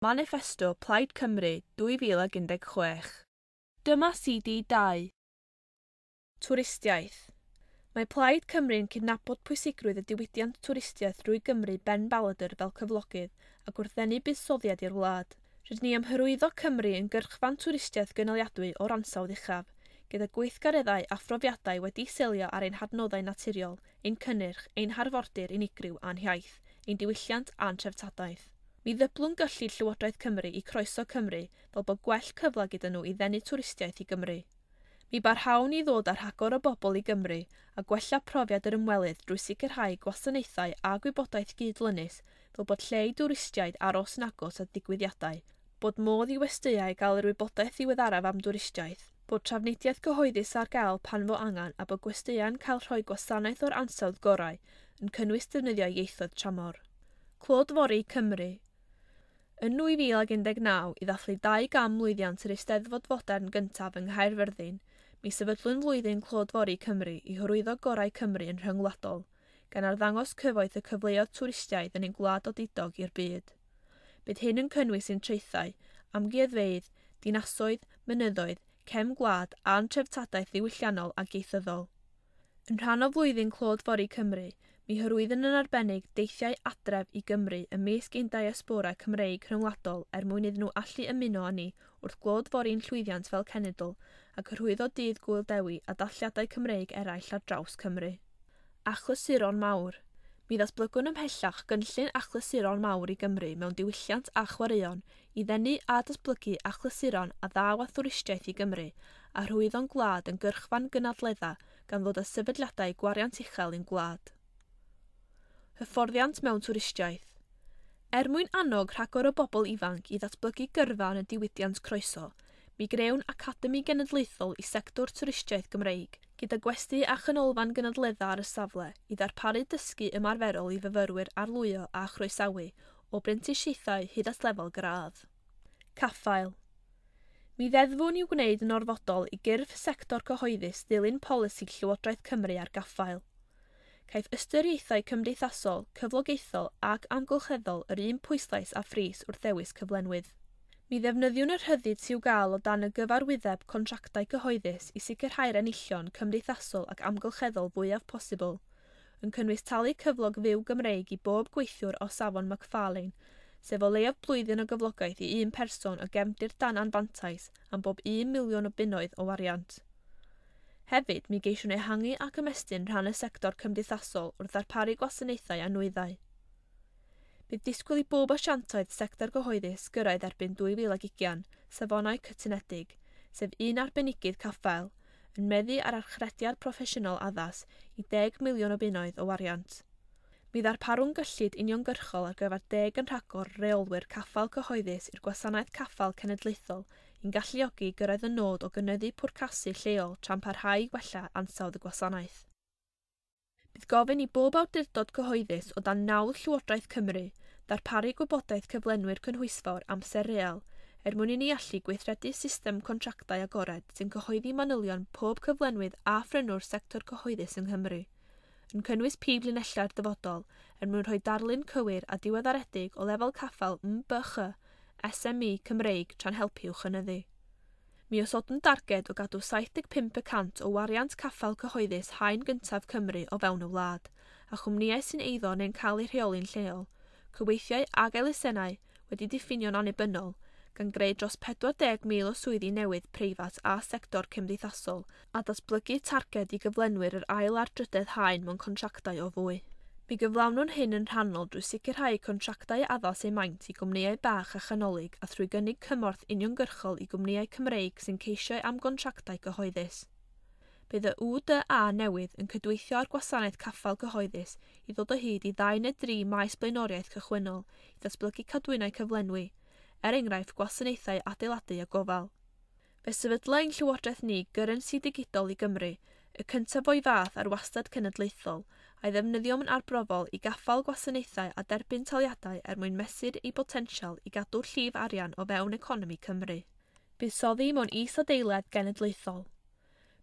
Maniffesto Plaid Cymru 2016. Dyma CD 2. Twristiaeth. Mae Plaid Cymru'n cydnabod pwysigrwydd y diwydiant twristiaeth drwy Gymru ben baladr fel cyflogydd ac wrth ddenu buddsoddiad i'r wlad. Rydyn ni am hyrwyddo Cymru yn gyrchfan twristiaeth gynaliadwy o'r ansawdd uchaf, gyda gweithgareddau a phrofiadau wedi selio ar ein hadnoddau naturiol, ein cynnyrch, ein harfordir unigryw a'n hiaith, ein diwylliant a'n treftadaeth. Mi ddyblwn gyllid Llywodraeth Cymru i Croeso Cymru fel bod gwell cyfle gyda nhw i ddenu twristiaeth i Gymru. Mi barhawn i ddod â rhagor o bobl i Gymru a gwella profiad yr ymwelydd drwy sicrhau gwasanaethau a gwybodaeth gydlynus fel bod lle i dwristiaid aros yn agos at ddigwyddiadau, bod modd i westeiau gael yr wybodaeth ddiweddaraf am dwristiaeth, bod trafnidiaeth gyhoeddus ar gael pan fo angen a bod gwesteiau'n cael rhoi gwasanaeth o'r ansawdd gorau, yn cynnwys defnyddio ieithoedd tramor. Clodfori Cymru. Yn 2019, i ddathlu 200 mlwyddiant yr Eisteddfod Fodern gyntaf yng Nghaerfyrddin, mi sefydlwn flwyddyn Clodfori Cymru i hyrwyddo gorau Cymru yn rhyngwladol, gan arddangos cyfoeth y cyfleoedd twristiaid yn ein gwlad odidog i'r byd. Bydd hyn yn cynnwys ein traethau, amgueddfeydd, dinasoedd, mynyddoedd, cefn gwlad a'n treftadaeth ddiwylliannol ac ieithyddol. Yn rhan o flwyddyn Clodfori Cymru, mi hyrwyddwn yn arbennig deithiau adref i Gymru ymysg ein diaspora Cymreig rhyngwladol er mwyn iddyn nhw allu ymuno â ni wrth glodfori'n llwyddiant fel cenedl ac hyrwyddo Dydd Gŵyl Dewi a dathliadau Cymreig eraill ar draws Cymru. Achlysuron mawr. Mi ddatblygwn ymhellach gynllun achlysuron mawr i Gymru mewn diwylliant a chwaraeon i ddenu a datblygu achlysuron a ddaw â thwristiaeth i Gymru a hyrwyddo'n gwlad yn gyrchfan gynadledda gan ddod â sefydliadau gwariant uchel i'n gwlad. Hyfforddiant mewn twristiaeth. Er mwyn annog rhagor o bobl ifanc i ddatblygu gyrfa yn y diwydiant croeso, mi grewn Academi Genedlaethol i sector twristiaeth Gymreig, gyda gwesty a chanolfan gynadledda ar y safle i ddarparu dysgu ymarferol i fyfyrwyr arlwyo a chroesawu o brentisiaethau hyd at lefel gradd. Caffael. Mi ddeddfwn i'w gwneud yn orfodol i gyrff sector cyhoeddus ddilyn polisi Llywodraeth Cymru ar gaffael. Caiff ystyriaethau cymdeithasol, cyflogaethol ac amgylcheddol yr un pwyslais a phris wrth ddewis cyflenwydd. Mi ddefnyddiwn y rhyddid sy'w gael o dan y gyfarwyddeb contractau cyhoeddus i sicrhau'r enillion cymdeithasol ac amgylcheddol fwyaf posibl, yn cynnwys talu cyflog fyw Gymreig i bob gweithiwr o safon McFarlane, sef o leiaf blwyddyn o gyflogaeth i un person o gefndir dan anfantais am bob 1 miliwn o bunnoedd o wariant. Hefyd, mi geisiwn ehangu ac ymestyn rhan y sector cymdeithasol wrth ddarparu gwasanaethau a nwyddau. Bydd disgwyl i bob asiantaeth sector gyhoeddus gyrraedd erbyn 2020 safonau cytunedig, sef un arbenigydd caffael, yn meddu ar archrediad proffesiynol addas i 10 miliwn o bunnoedd o wariant. Mi ddarparwn gyllid uniongyrchol ar gyfer 10 yn rhagor reolwyr caffael cyhoeddus i'r gwasanaeth caffael cenedlaethol i'n galluogi gyrraedd y nod o gynyddu pwrcasu lleol tra'n parhau i wella ansawdd y gwasanaeth. Bydd gofyn i bob awdurdod cyhoeddus o dan nawdd Llywodraeth Cymru ddarparu gwybodaeth cyflenwyr cynhwysfawr amser real er mwyn i ni allu gweithredu system contractau agored sy'n cyhoeddi manylion pob cyflenwydd a phrynwr sector cyhoeddus yng Nghymru, yn cynnwys prif linellau'r dyfodol er mwyn rhoi darlun cywir a diweddaredig o lefel caffael MBCH SME Cymreig tra'n helpu i'w chynyddu. Mi osodwn darged o gadw 75% o wariant caffael cyhoeddus haen gyntaf Cymru o fewn y wlad, a chwmnïau sy'n eiddo neu'n cael eu rheoli'n lleol, cyweithiau ag elusennau wedi diffinio'n annibynnol, gan greu dros 40,000 o swyddi newydd preifat a sector cymdeithasol, a datblygu targed i gyflenwyr yr ail a'r drydedd haen mewn contractau o fwy. Mi gyflawnwn hyn yn rhannol drwy sicrhau contractau addas eu maint i gwmnïau bach a chanolig a thrwy gynnig cymorth uniongyrchol i gwmnïau Cymreig sy'n ceisio am gontractau cyhoeddus. Bydd y UDA newydd yn cydweithio â'r gwasanaeth caffael cyhoeddus i ddod o hyd i 2 neu 3 maes blaenoriaeth cychwynnol i ddatblygu cadwynau cyflenwi, er enghraifft gwasanaethau adeiladu a gofal. Fe sefydla ein Llywodraeth ni gyrrensi digidol i Gymru, y cyntaf o'i fath ar wastad cenedlaethol, a'i ddefnyddio yn arbrofol i gaffael gwasanaethau a derbyn taliadau er mwyn mesur ei botensial i gadw llif arian o fewn economi Cymru. Buddsoddi mewn is-adeiledd genedlaethol.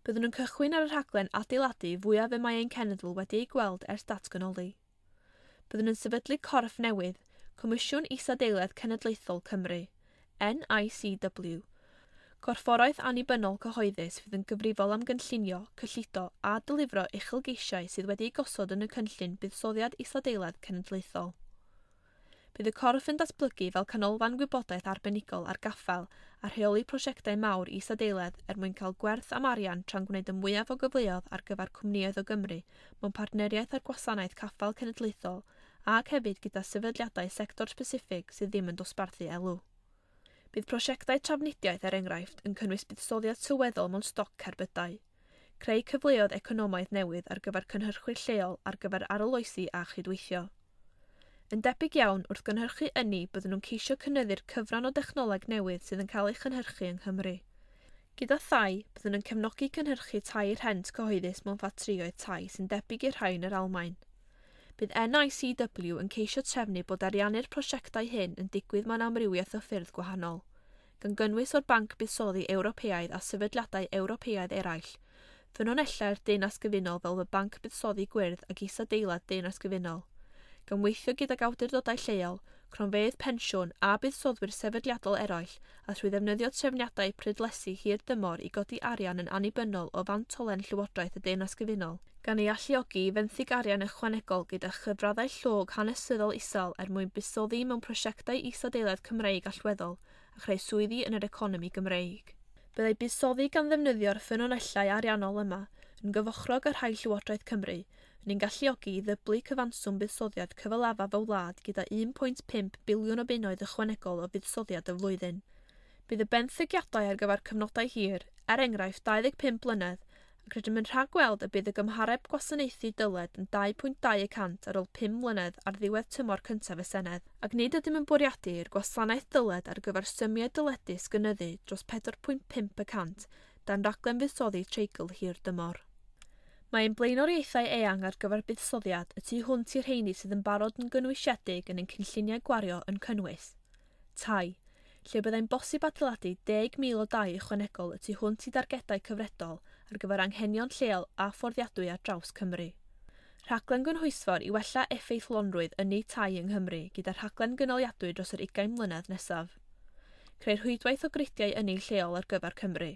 Byddwn yn cychwyn ar y rhaglen adeiladu fwyaf y mae ein cenedl wedi ei gweld ers datganoli. Byddwn yn sefydlu corff newydd, Comisiwn Isadeiledd Cenedlaethol Cymru, NICW, corfforaeth annibynnol cyhoeddus fydd yn gyfrifol am gynllunio, cyllido a dylifro uchelgeisiau sydd wedi'u gosod yn y cynllun buddsoddiad isadeiledd cenedlaethol. Bydd y corff yn datblygu fel canolfan gwybodaeth arbenigol ar gaffael a rheoli prosiectau mawr isadeiledd er mwyn cael gwerth am arian tra'n gwneud y mwyaf o gyfleoedd ar gyfer cwmnïoedd o Gymru mewn partneriaeth â'r Gwasanaeth Caffael Cenedlaethol ac hefyd gyda sefydliadau sector speciffig sydd ddim yn dosbarthu elw. Bydd prosiectau trafnidiaeth, er enghraifft, yn cynnwys buddsoddiad sylweddol mewn stoc cerbydau, creu cyfleoedd economaidd newydd ar gyfer cynhyrchwyr lleol ar gyfer arloesi a chydweithio. Yn debyg iawn, wrth gynhyrchu ynni, byddwn nhw'n ceisio cynyddu'r cyfran o dechnoleg newydd sydd yn cael ei chynhyrchu yng Nghymru. Gyda thai, byddwn yn cefnogi cynhyrchu tai rhent cyhoeddus mewn ffatrïoedd tai sy'n debyg i'r rhai yn yr Almaen. Bydd NICW yn ceisio trefnu bod ariannu'r prosiectau hyn yn digwydd mewn amrywiaeth o ffyrdd gwahanol, gan gynnwys o'r Banc Buddsoddi Ewropeaidd a sefydliadau Ewropeaidd eraill, ffynonellau'r Deyrnas Gyfunol fel y Banc Buddsoddi Gwyrdd ac Isadeilad Deyrnas Gyfunol, gan weithio gydag awdurdodau lleol, cronfeydd pensiwn a buddsoddwyr sefydliadol eraill a thrwy ddefnyddio trefniadau prydlesu hir dymor i godi arian yn annibynnol o fantolen Llywodraeth y Deyrnas Gyfunol, gan ei alluogi i fenthyg arian ychwanegol gyda chyfraddau llog hanesyddol isel er mwyn buddsoddi mewn prosiectau isadeiledd Cymreig allweddol a chreu swyddi yn yr economi Gymreig. Byddai buddsoddi gan ddefnyddio'r ffynonellau ariannol yma yn gyfochrog â rhai Llywodraeth Cymru yn ein galluogi i ddyblu cyfanswm buddsoddiad cyfalafaf y wlad gyda 1.5 biliwn o bunnoedd ychwanegol o fuddsoddiad y flwyddyn. Bydd y benthyciadau ar gyfer cyfnodau hir, er enghraifft 25 blynedd, ac rydym yn rhagweld y bydd y gymhareb gwasanaethu dyled yn 2.2% ar ôl 5 mlynedd ar ddiwedd tymor cyntaf y Senedd, ac nid ydym yn bwriadu i'r gwasanaeth dyled ar gyfer symiau dyledus gynyddu dros 4.5% dan raglen fuddsoddi treigl hir dymor. Mae ein blaenoriaethau eang ar gyfer buddsoddiad y tu hwnt i'r rheini sydd yn barod yn gynwysiedig yn ein cynlluniau gwario yn cynnwys tai, lle byddai'n bosib adeiladu 10,000 o dai ychwanegol y tu hwnt i dargedau cyfredol ar gyfer anghenion lleol a fforddiadwy ar draws Cymru. Rhaglen gynhwysfawr i wella effeithlonrwydd ynni tai yng Nghymru gyda rhaglen gynaliadwy dros yr 20 mlynedd nesaf. Creu rhwydwaith o gridiau ynni lleol ar gyfer Cymru.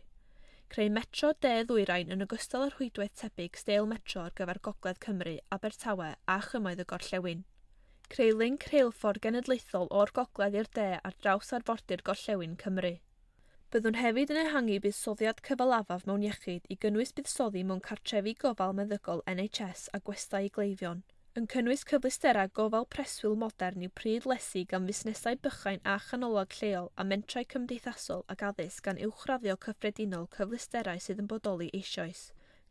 Creu metro de-ddwyrain yn ogystal â rhwydwaith tebyg steil metro ar gyfer Gogledd Cymru, Abertawe a Chymoedd y Gorllewin. Creu linc rheilffordd genedlaethol o'r gogledd i'r de ar draws arfordir Gorllewin Cymru. Byddwn hefyd yn ehangu buddsoddiad cyfalafaf mewn iechyd i gynnwys buddsoddi mewn cartrefi gofal meddygol NHS a gwestai i gleifion, yn cynnwys cyfleusterau gofal preswyl modern i'w pryd lesu gan fusnesau bychain a chanolog lleol a mentrau cymdeithasol ac addysg gan uwchraddio cyffredinol cyfleusterau sydd yn bodoli eisoes.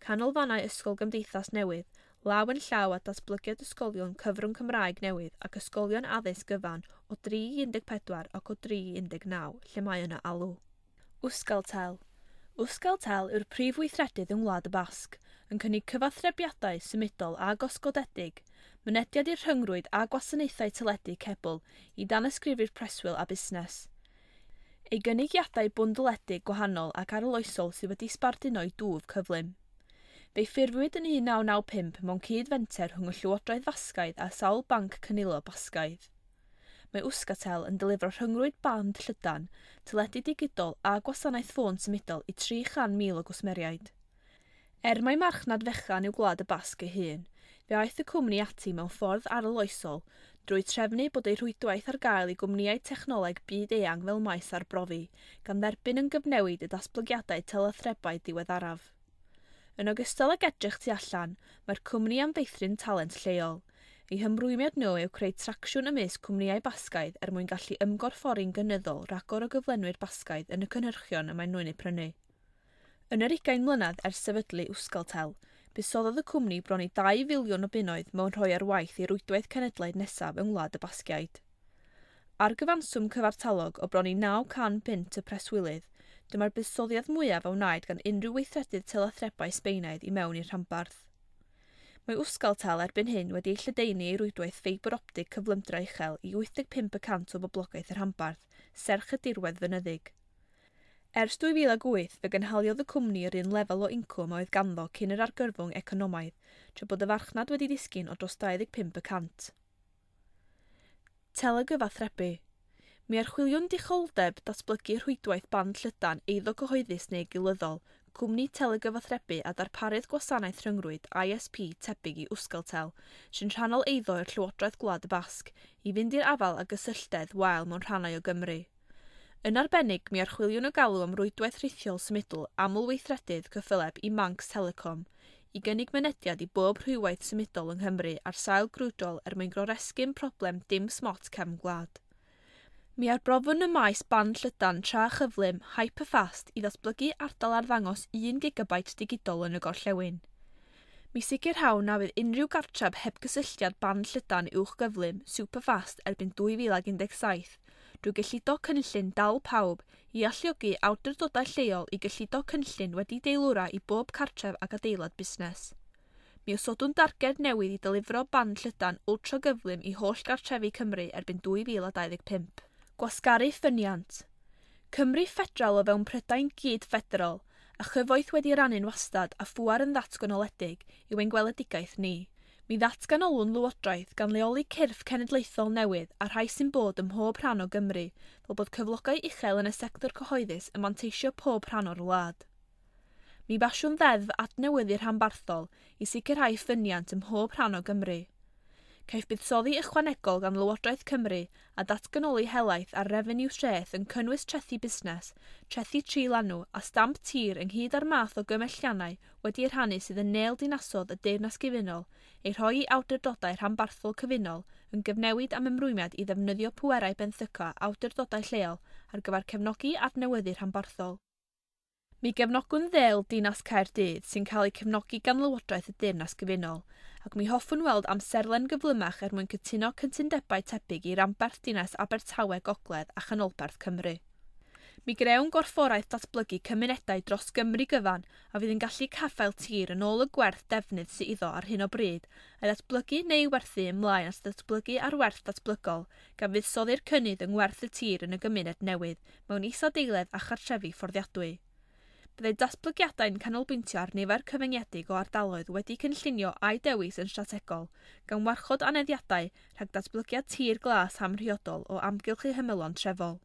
Canolfannau ysgol gymdeithas newydd, law yn llaw â datblygiad ysgolion cyfrwng Cymraeg newydd ac ysgolion addysg gyfan o 3 i 14 ac o 3 i 19, lle mae yna alw. Euskaltel. Euskaltel yw'r prif weithredydd yng Ngwlad y Basg, yn cynnig cyfathrebiadau symudol a gosodedig, mynediad i'r rhyngrwyd a gwasanaethau teledu cebl i danysgrifwyr preswyl a busnes. Ei gynigiadau bwndledig gwahanol ac arloesol sydd wedi sbarduno ei dwf cyflym. Fe'i ffurfiwyd yn 1995 mewn cyd-fenter rhwng y Llywodraeth Fasgaidd a sawl banc cynilo Basgaidd. Mae Euskaltel yn delifro rhyngrwyd band llydan, teledu digidol a gwasanaeth ffôn symudol i 300,000 o gwsmeriaid. Er mai marchnad fechan yw Gwlad y Basg ei hun, fe aeth y cwmni ati mewn ffordd arloesol drwy trefnu bod ei rhwydwaith ar gael i gwmnïau technoleg byd eang fel maes arbrofi, gan dderbyn yn gyfnewid y datblygiadau telathrebu diweddaraf. Yn ogystal ag edrych tu allan, mae'r cwmni am feithrin talent lleol. Eu hymrwymiad nhw yw creu tracsiwn ymysg cwmnïau Basgaidd er mwyn gallu ymgorffori'n gynyddol ragor o gyflenwyr Basgaidd yn y cynhyrchion y maen nhw'n eu prynu. Yn yr 20 mlynedd ers sefydlu Euskaltel, buddsoddodd y cwmni bron i 2 filiwn o bunnoedd mewn rhoi ar waith ei rwydwaith cenedlaeth nesaf yng Ngwlad y Basgiaid. Ar gyfanswm cyfartalog o bron i 900 punt y preswylydd, dyma'r buddsoddiad mwyaf a wnaed gan unrhyw weithredydd telathrebu Sbaenaidd i mewn i'r rhanbarth. Mae Euskaltel erbyn hyn wedi ei lledaenu ei rwydwaith ffeibr optig cyflymdra uchel i 85% o boblogaeth y rhanbarth, serch y dirwedd fynyddig. Ers 2008, fe gynhaliodd y cwmni yr un lefel o incwm a oedd ganddo cyn yr argyfwng economaidd, tra bod y farchnad wedi disgyn o dros 25%. Telegyfathrebu. Mi archwiliwn dicholdeb datblygu rhwydwaith band llydan eiddo cyhoeddus neu gilyddol, cwmni telegyfathrebu a darparydd gwasanaeth rhyngrwyd ISP tebyg i Euskaltel, sy'n rhannol eiddo i'r Llywodraeth Gwlad y Basg, i fynd i'r afael ag gysylltedd wael mewn rhannau o Gymru. Yn arbennig, mi archwiliwn y galw am rwydwaith rhithiol symudol amlweithredydd cyffyleb i Manx Telecom, i gynnig mynediad i bob rhwydwaith symudol yng Nghymru ar sail grwydrol er mwyn goresgyn problem dim smot cefn gwlad. Mi arbrofwn y maes band llydan tra chyflym hyperfast i ddatblygu ardal arddangos 1 gigabyte digidol yn y gorllewin. Mi sicrhawn na fydd unrhyw gartref heb gysylltiad band llydan uwch gyflym superfast erbyn 2017 drwy gyllido cynllun Dal Pawb i alluogi awdurdodau lleol i gyllido cynllun wedi deilwra i bob cartref ac adeilad busnes. Mi osodwn darged newydd i ddelifro band llydan ultra gyflym i holl gartrefi Cymru erbyn 2025. Gwasgaru ffyniant. Cymru ffederal o fewn Prydain gyd ffederal, a chyfoeth wedi rannu'n wastad a phŵer yn ddatganoledig yw ein gweledigaeth ni. Mi ddatganolwn lywodraeth gan leoli cyrff cenedlaethol newydd a rhai sy'n bod ym mhob rhan o Gymru, fel bod cyflogau uchel yn y sector cyhoeddus yn manteisio pob rhan o'r wlad. Mi basiwn ddeddf adnewyddu rhanbarthol i sicrhau ffyniant ym mhob rhan o Gymru. Caiff buddsoddi ychwanegol gan Lywodraeth Cymru a datganoli helaeth ar refeniw treth yn cynnwys trethi busnes, trethi tri lanw a stamp tir ynghyd â'r math o gymelliannau wedi eu rhannu sydd yn nêl dinasodd y Deyrnas Gyfunol ei rhoi i awdurdodau rhanbarthol cyfunol yn gyfnewid am ymrwymiad i ddefnyddio pwerau benthyca awdurdodau lleol ar gyfer cefnogi adnewyddu rhanbarthol. Mi gefnogwn ddêl Dinas Caerdydd sy'n cael ei cefnogi gan Lywodraeth y Deyrnas Gyfunol, ac mi hoffwn weld amserlen gyflymach er mwyn cytuno cytundebau tebyg i ranbarth Dinas Abertawe Gogledd a Chanolbarth Cymru. Mi grewn gorfforaeth datblygu cymunedau dros Gymru gyfan a fydd yn gallu caffael tir yn ôl y gwerth defnydd sydd iddo ar hyn o bryd, a'i ddatblygu neu werthu ymlaen at ddatblygu ar werth datblygol, gan fuddsoddi'r cynnydd yng ngwerth y tir yn y gymuned newydd mewn isadeiledd a chartrefi fforddiadwy. Byddai datblygiadau'n canolbwyntio ar nifer cyfyngedig o ardaloedd wedi cynllunio a'u dewis yn strategol, gan warchod aneddiadau rhag datblygiad tir glas amhriodol o amgylch eu hymylon trefol.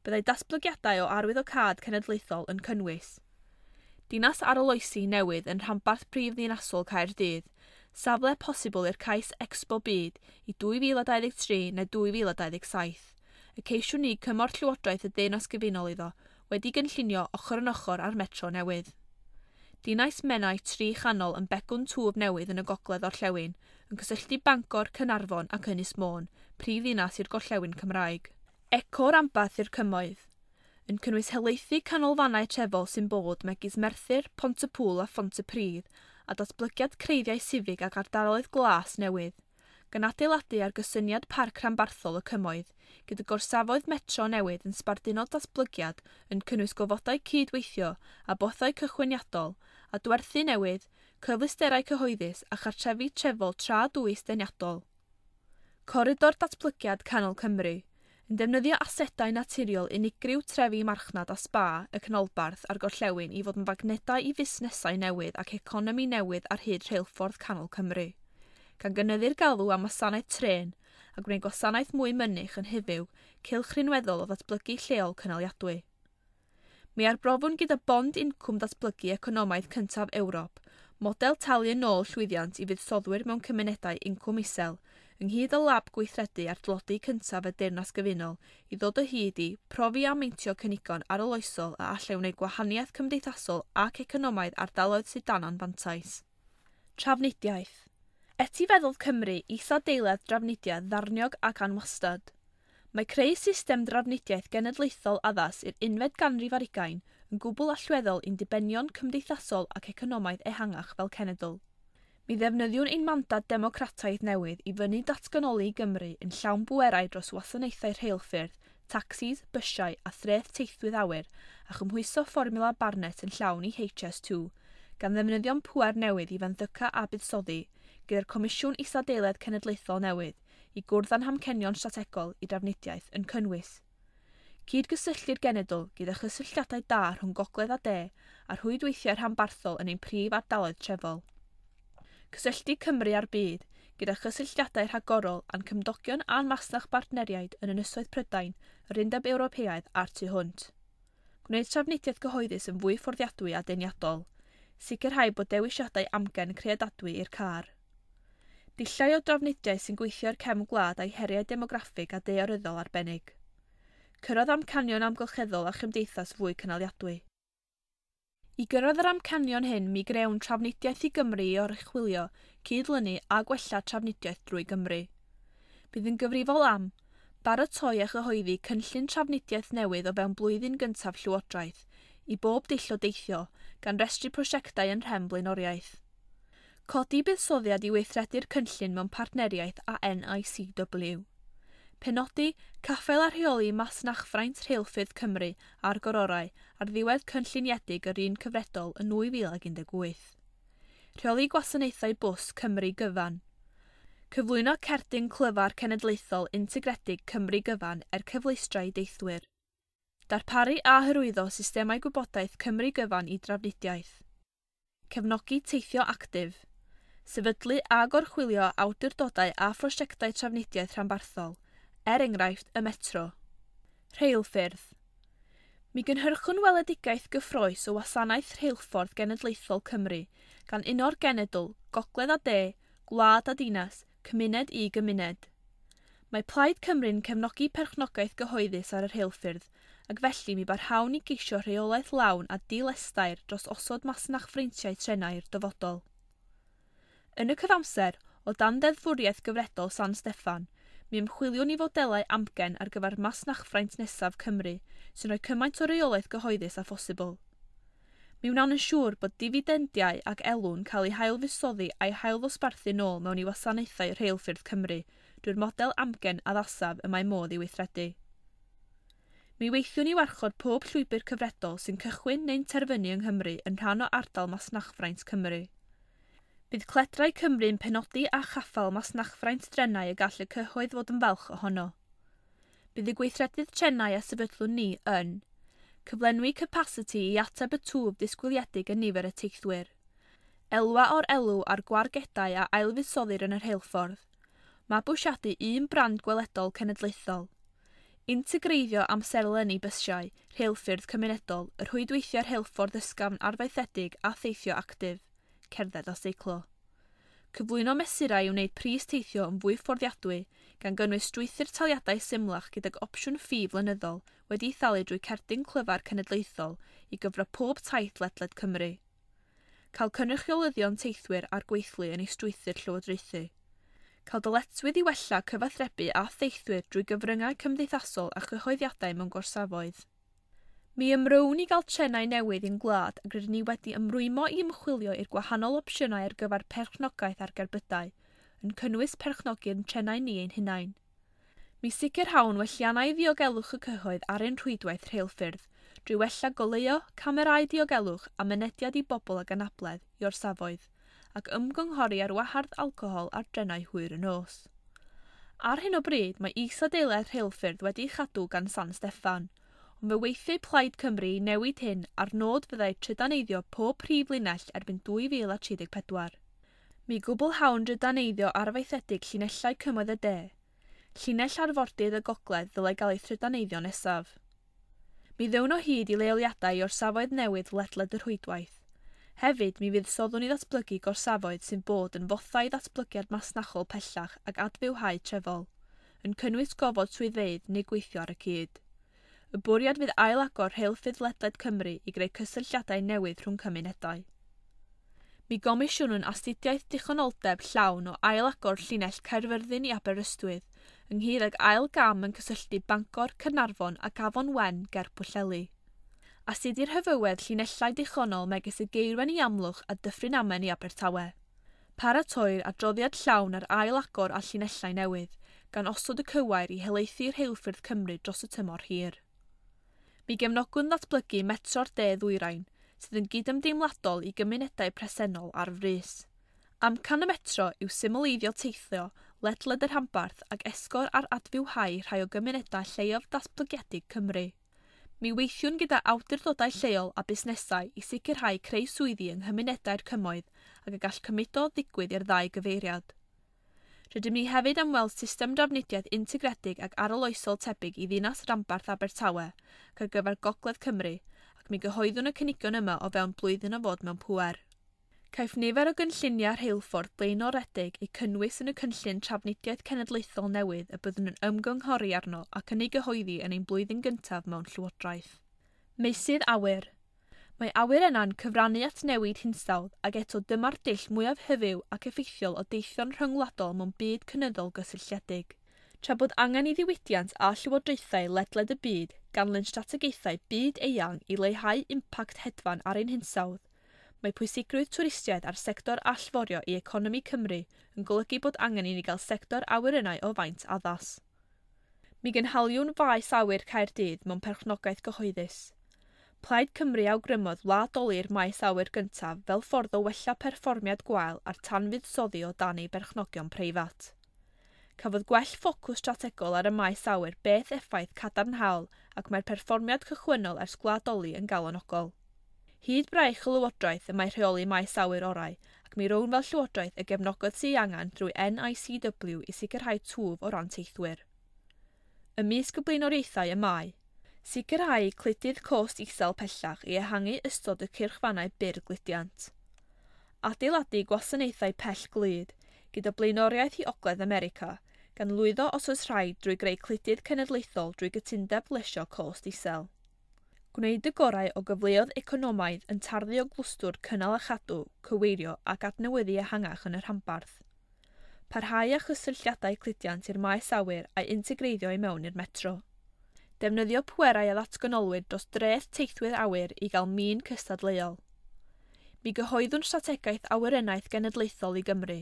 Byddai datblygiadau o arwyddocâd cenedlaethol yn cynnwys Dinas arloesi newydd yn rhanbarth prif ddinasol Caerdydd, safle posibl i'r cais Expo Byd i 2023 neu 2027, y ceisiwn ni cymorth Llywodraeth y Deyrnas Gyfunol iddo, wedi gynllunio ochr yn ochr â'r metro newydd. Dinas Menai tri chanol yn begwn twf newydd yn y gogledd orllewin, yn cysylltu Bangor, Caernarfon ac Ynys Môn, prif ddinas i'r gorllewin Cymraeg. Eco ranbarth i'r cymoedd, yn cynnwys helaethu canolfannau trefol sy'n bod megis Merthyr, Pont-y-pŵl a Phontypridd, a datblygiad creiddiau sifig ac ardaloedd glas newydd, gan adeiladu ar gysyniad parc rhanbarthol y cymoedd, gyda gorsafoedd metro newydd yn sbarduno datblygiad yn cynnwys gofodau cydweithio a bothau cychwyniadol, a dwerthu newydd, cyfleusterau cyhoeddus a chartrefi trefol tra dwys deniadol. Coridor datblygiad Canol Cymru, yn defnyddio asedau naturiol unigryw trefi marchnad a spa y canolbarth a'r gorllewin i fod yn fagnedau i fusnesau newydd ac economi newydd ar hyd rheilffordd Canol Cymru, gan gynyddu'r galw am wasanaeth trên a gwneud gwasanaeth mwy mynych yn hyfyw cylch rhinweddol o ddatblygu lleol cynaliadwy. Mi arbrofwn gyda bond incwm datblygu economaidd cyntaf Ewrop, model talu yn ôl llwyddiant i fuddsoddwyr mewn cymunedau incwm isel, ynghyd â lab gweithredu ar dlodi cyntaf y Deyrnas Gyfunol i ddod o hyd i profi a meintio cynigon arloesol a allai wneud gwahaniaeth cymdeithasol ac economaidd ardaloedd sydd dan anfantais. Trafnidiaeth. Etifeddodd Cymru isadeiledd drafnidiaeth ddarniog ac anwastad. Mae creu system drafnidiaeth genedlaethol addas i'r unfed ganrif ar hugain yn gwbl allweddol i'n dibenion cymdeithasol ac economaidd ehangach fel cenedl. Mi ddefnyddiwn ein mandad democrataidd newydd i fyny datganoli i Gymru yn llawn bwerau dros wasanaethau rheilffyrdd, tacsis, bysiau a threth teithwydd awyr a chymhwyso fformiwla Barnett yn llawn i HS2, gan ddefnyddio'n pŵer newydd i fenthyca a buddsoddi gyda'r Comisiwn Isadeiledd Cenedlaethol newydd i gwrdd â'n hamcenion strategol i drafnidiaeth yn cynnwys cydgysylltu'r genedl gyda chysylltiadau da rhwng gogledd a de a rhwydweithiau rhanbarthol yn ein prif ardaloedd trefol. Cysylltu Cymru â'r byd gyda chysylltiadau rhagorol â'n cymdogion a'n masnach bartneriaid yn Ynysoedd Prydain, yr Undeb Ewropeaidd a'r tu hwnt. Gwneud trafnidiaeth gyhoeddus yn fwy fforddiadwy a deniadol. Sicrhau bod dewisiadau amgen creadadwy i'r car. Dulliau o drafnidiaeth sy'n gweithio i'r cefn gwlad a'i heriau demograffig a daearyddol arbennig. Cyrraedd amcanion amgylcheddol a chymdeithas fwy cynaliadwy. I gyrraedd yr amcanion hyn mi grewn Trafnidiaeth i Gymru i oruchwylio, cydlynu a gwella trafnidiaeth drwy Gymru. Bydd yn gyfrifol am baratoi a chyhoeddi cynllun trafnidiaeth newydd o fewn blwyddyn gyntaf Llywodraeth i bob dull o deithio, gan restru prosiectau yn rhem blaenoriaeth. Codi buddsoddiad i weithredu'r cynllun mewn partneriaeth â NICW. Penodi, caffael a rheoli masnachfraint rheilffyrdd Cymru a'r Gororau ar ddiwedd cynlluniedig yr un cyfredol yn 2018. Rheoli gwasanaethau bws Cymru gyfan. Cyflwyno cerdyn clyfar cenedlaethol integredig Cymru gyfan er cyfleustra i deithwyr. Darparu a hyrwyddo systemau gwybodaeth Cymru gyfan i drafnidiaeth. Cefnogi teithio actif. Sefydlu a gorchwylio awdurdodau a phrosiectau trafnidiaeth rhanbarthol, er enghraifft y metro. Rheilffyrdd. Mi gynhyrchwn weledigaeth gyffrous o wasanaeth rheilffordd genedlaethol Cymru, gan uno'r genedl, gogledd a de, gwlad a dinas, cymuned i gymuned. Mae Plaid Cymru'n cefnogi perchnogaeth gyhoeddus ar y rheilffyrdd, ac felly mi barhawn i geisio rheolaeth lawn a dilestair dros osod masnachfreintiau trenau i'r dyfodol. Yn y cyfamser, o dan ddeddfwriaeth gyfredol San Steffan, mi ymchwiliwn i fodelau amgen ar gyfer masnachfraint nesaf Cymru sy'n rhoi cymaint o reolaeth gyhoeddus â phosibl. Mi wnawn yn siŵr bod difidendiau ac elw'n cael eu hailfusoddi a'i hailddosbarthu nôl mewn i wasanaethau rheilffyrdd Cymru drwy'r model amgen addasaf y mae modd i weithredu. Mi weithiwn i warchod pob llwybr cyfredol sy'n cychwyn neu'n terfynu yng Nghymru yn rhan o ardal masnachfraint Cymru. Bydd Cledrau Cymru'n penodi a chaffael masnachfraint drenau y gall y cyhoedd fod yn falch ohono. Bydd y gweithredydd trenau a sefydlwn ni yn cyflenwi capasiti i ateb y twf disgwyliedig yn nifer y teithwyr, elwa o'r elw a'r gwargedau a ailfuddsoddir yn y rheilffordd, mabwysiadu un brand gweledol cenedlaethol, integreiddio amserlenni bysiau, rheilffyrdd cymunedol, y rhwydweithiau rheilffordd ysgafn arfaethedig a theithio actif, cerdded a seiclo. Cyflwyno mesurau i wneud pris teithio yn fwy fforddiadwy, gan gynnwys strwythur taliadau symlach gydag opsiwn ffi flynyddol wedi'i thalu drwy cerdyn clyfar cenedlaethol i gyfro pob taith ledled Cymru. Cael cynrychiolyddion teithwyr a'r gweithlu yn ei strwythur llywodraethu. Cael dyletswydd i wella cyfathrebu a theithwyr drwy gyfryngau cymdeithasol a chyhoeddiadau mewn gorsafoedd. Mi ymrown i gael trenau newydd i'n gwlad ac rydyn ni wedi ymrwymo i ymchwilio i'r gwahanol opsiynau ar gyfer perchnogaeth ar gerbydau, yn cynnwys perchnogi'r trenau ni ein hunain. Mi sicrhawn welliannau i ddiogelwch y cyhoedd ar ein rhwydwaith rheilffyrdd, drwy wella goleuo, camerâu diogelwch a mynediad i bobl ag anabledd i orsafoedd, ac ymgynghori ar wahardd alcohol ar drenau hwyr y nos. Ar hyn o bryd, mae isadeiledd rheilffyrdd wedi'i chadw gan San Steffan, ond fe weithiau Plaid Cymru i newid hyn a'r nod fyddai trydaneiddio pob prif linell erbyn 2034. Mi gwblhawn drydaneiddio arfaethedig llinellau cymoedd y de. Llinell arfordydd y gogledd ddylai gael ei thrydaneiddio nesaf. Mi ddown o hyd i leoliadau i orsafoedd newydd ledled y rhwydwaith. Hefyd, mi fuddsoddwn i ddatblygu gorsafoedd sy'n bod yn fothau i ddatblygiad masnachol pellach ac adfywhau trefol, yn cynnwys gofod swyddfeydd neu gweithio ar y cyd. Y bwriad fydd ail-agor rheilffyrdd ledled Cymru i greu cysylltiadau newydd rhwng cymunedau. Mi gomisiynwn astudiaeth dichonoldeb llawn o ail-agor llinell Caerfyrddin i Aberystwyth, ynghyd ag ail gam yn cysylltu Bangor, Caernarfon ac Afon Wen ger Pwllheli. Astudir hyfywedd llinellau dichonol megis y Geirwen i Amlwch a Dyffryn Amen i Abertawe. Paratoir adroddiad llawn ar ail-agor a llinellau newydd, gan osod y cywair i helaethu rheilffyrdd Cymru dros y tymor hir. Mi gefnogwn ddatblygu metro'r de ddwyrain, sydd yn gydymdeimladol i gymunedau presennol ar frys. Amcan y metro yw symleiddio teithio ledled y rhanbarth ac esgor ar adfywhau rhai o gymunedau lleiaf datblygiedig Cymru. Mi weithiwn gyda awdurdodau lleol a busnesau i sicrhau creu swyddi yng nghymunedau'r cymoedd ac y gall cymudo ddigwydd i'r ddau gyfeiriad. Rydym ni hefyd am weld system drafnidiaeth integredig ac arloesol tebyg i ddinas ranbarth Abertawe ac ar gyfer Gogledd Cymru, ac mi gyhoeddwn y cynigion yma o fewn blwyddyn o fod mewn pŵer. Caiff nifer o gynlluniau rheilffordd blaenoredig eu cynnwys yn y cynllun trafnidiaeth cenedlaethol newydd y byddwn yn ymgynghori arno ac yn ei gyhoeddi yn ein blwyddyn gyntaf mewn llywodraeth. Meysydd awyr. Mae awyrennau'n cyfrannu at newid hinsawdd ac eto dyma'r dull mwyaf hyfyw ac effeithiol o deithio'n rhyngwladol mewn byd cynyddol gysylltiedig. Tra bod angen i ddiwydiant a llywodraethau ledled y byd ganlyn strategaethau byd eang i leihau impact hedfan ar ein hinsawdd, mae pwysigrwydd twristiaeth a'r sector allforio i economi Cymru yn golygu bod angen i ni gael sector awyrennau o faint addas. Mi gynhaliwn faes awyr Caerdydd mewn perchnogaeth gyhoeddus. Plaid Cymru awgrymodd wladoli'r maes awyr gyntaf fel ffordd o wella perfformiad gwael a'r tanfuddsoddi o dan ei berchnogion preifat. Cafodd gwell ffocws strategol ar y maes awyr beth effaith cadarnhaol ac mae'r perfformiad cychwynnol ers gwladoli yn galonogol. Hyd braich y Lywodraeth y mae rheoli maes awyr orau, ac mi rown fel Llywodraeth y gefnogaeth sydd ei angen drwy NICW i sicrhau twf o ran teithwyr. Ymysg y blaenoriaethau y mae sicrhau cludydd cost isel pellach i ehangu ystod y cyrchfannau byr gludiant. Adeiladu gwasanaethau pell glud, gyda blaenoriaeth i Ogledd America, gan lwyddo os oes rhaid drwy greu cludydd cenedlaethol drwy gytundeb lesio cost isel. Gwneud y gorau o gyfleoedd economaidd yn tarddu o glwstwr cynnal a chadw, cyweirio ac adnewyddu ehangach yn y rhanbarth. Parhau â chysylltiadau cludiant i'r maes awyr a'i integreiddio i mewn i'r metro. Defnyddio pwerau a ddatganolwyd dros dreth teithwyr awyr i gael min cystadleuol. Mi gyhoeddwn strategaeth awyrennaeth genedlaethol i Gymru,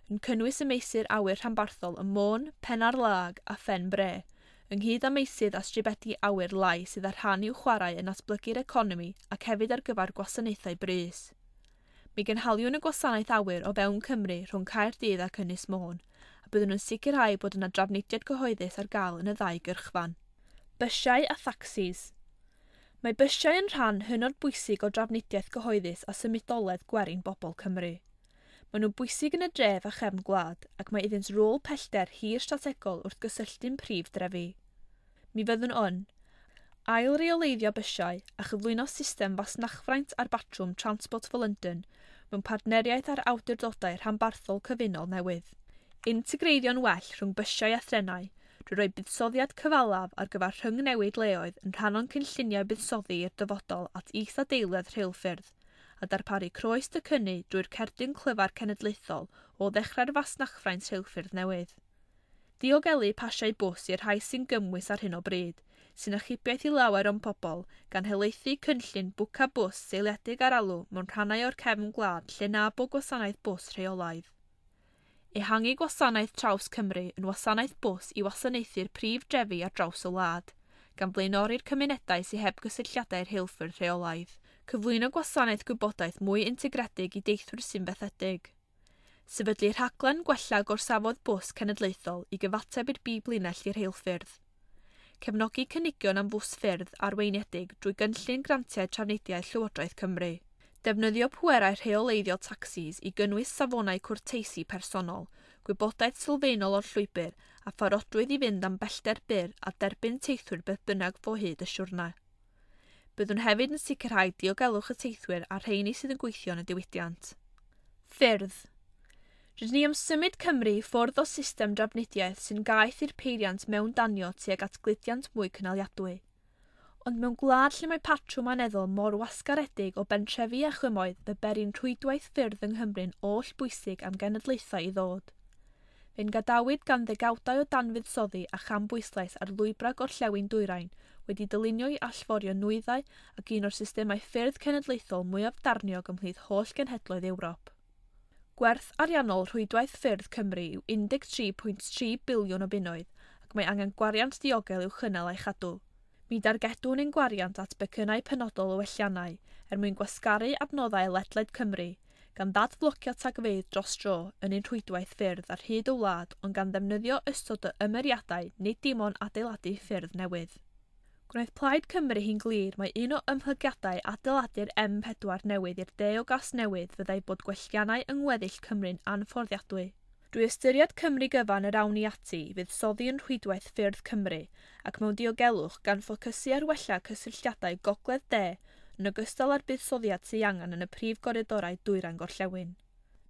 yn cynnwys y meysydd awyr rhanbarthol ym Môn, Penarlâg a Phen Bre, ynghyd â meysydd a stribedi awyr lai sydd â rhan i'w chwarae yn datblygu'r economi ac hefyd ar gyfer gwasanaethau brys. Mi gynhaliwn y gwasanaeth awyr o fewn Cymru rhwng Caerdydd ac Ynys Môn, a byddwn yn sicrhau bod yna drafnidiaeth gyhoeddus ar gael yn y ddau gyrchfan. Bysiau a thacsis. Mae bysiau yn rhan hynod bwysig o drafnidiaeth gyhoeddus a symudoledd gwerin bobl Cymru. Maen nhw'n bwysig yn y dref a chefn gwlad, ac mae iddynt rôl pellter hir strategol wrth gysylltu'n prif drefi. Mi fyddwn yn ail-reoleiddio bysiau a chyflwyno system fasnachfraint ar batrwm Transport for London mewn partneriaeth â'r awdurdodau rhanbarthol cyfunol newydd. Integreiddio'n well rhwng bysiau a threnau drwy roi buddsoddiad cyfalaf ar gyfer rhyngnewid leoedd yn rhan o'n cynlluniau buddsoddi i'r dyfodol at is-adeiledd rheilffyrdd a darparu croes docynnu drwy'r cerdyn clyfar cenedlaethol o ddechrau'r fasnachfraint rheilffyrdd newydd. Diogelu pasiau bws i'r rhai sy'n gymwys ar hyn o bryd, sy'n achubiaeth i lawer o'n pobl, gan helaethu cynllun bwca bws seiliedig ar alw mewn rhannau o'r cefn gwlad lle na bo gwasanaeth bws rheolaidd. Ehangu gwasanaeth Traws Cymru yn wasanaeth bws i wasanaethu'r prif drefi ar draws y wlad, gan flaenori'r cymunedau sydd heb gysylltiadau rheilffyrdd rheolaidd. Cyflwyno gwasanaeth gwybodaeth mwy integredig i deithwyr sy'n fethedig. Sefydlu rhaglen gwella gorsafodd bws cenedlaethol i gyfateb i'r biblinell i'r rheilffyrdd. Cefnogi cynigion am fws ffyrdd arweiniedig drwy gynllun grantiau trafnidiaeth Llywodraeth Cymru. Defnyddio pwerau rheoleiddio tacsis i gynnwys safonau cwrteisi personol, gwybodaeth sylfaenol o'r llwybr a pharodrwydd i fynd am bellter byr a derbyn teithwyr beth bynnag fo hyd y siwrne. Byddwn hefyd yn sicrhau diogelwch y teithwyr a'r rheini sydd yn gweithio yn y diwydiant. Ffyrdd. Rydyn ni am symud Cymru i ffwrdd o system drafnidiaeth sy'n gaeth i'r peiriant mewn danio tuag at gludiant mwy cynaliadwy. Ond mewn gwlad lle mae patrwm aneddol mor wasgaredig o bentrefi a chymoedd, fe bery'n rhwydwaith ffyrdd yng Nghymru'n oll bwysig am genedlaethau i ddod. Fe'n gadawyd gan ddegawdau o danfuddsoddi a chambwyslais ar lwybrau gorllewin dwyrain wedi dylunio i allforio nwyddau ac un o'r systemau ffyrdd cenedlaethol mwyaf darniog ymhlith holl genhedloedd Ewrop. Gwerth ariannol rhwydwaith ffyrdd Cymru yw 13.3 biliwn o bunnoedd ac mae angen gwariant diogel i'w chynnal a'i chadw. Mi dargedwn ein gwariant at becynnau penodol o welliannau er mwyn gwasgaru adnoddau ledled Cymru, gan ddadflocio tagfeydd dros dro yn ein rhwydwaith ffyrdd ar hyd y wlad ond gan ddefnyddio ystod o ymyriadau nid dim ond adeiladu ffyrdd newydd. Gwnaeth Plaid Cymru hi'n glir mai un o ymhlygiadau adeiladu'r M4 newydd i'r de o Gasnewydd fyddai bod gwelliannau yng ngweddill Cymru'n anfforddiadwy. Drwy ystyried Cymru gyfan yr awn ni ati i fuddsoddi yn rhwydwaith ffyrdd Cymru ac mewn diogelwch gan ffocysu ar wella cysylltiadau gogledd-de yn ogystal â'r buddsoddiad sydd angen yn y prif goridorau dwyrain gorllewin.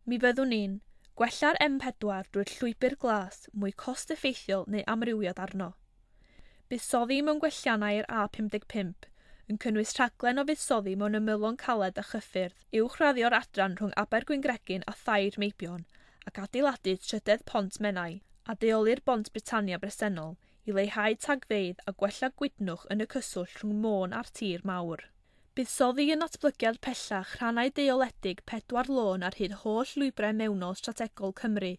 Mi fyddwn ni'n gwella'r M4 drwy'r llwybr glas mwy cost-effeithiol neu amrywiad arno. Buddsoddi mewn gwelliannau i'r A55 yn cynnwys rhaglen o fuddsoddi mewn ymylon caled a chyffyrdd, uwchraddio'r adran rhwng Abergwyngregyn a Thair Meibion ac adeiladu trydedd pont Menai a deoli'r bont Britannia bresennol i leihau tagfeydd a gwella gwydnwch yn y cyswllt rhwng Môn a'r tir mawr. Buddsoddi yn natblygiad pellach rhannau deoledig pedwar lôn ar hyd holl lwybrau mewnol strategol Cymru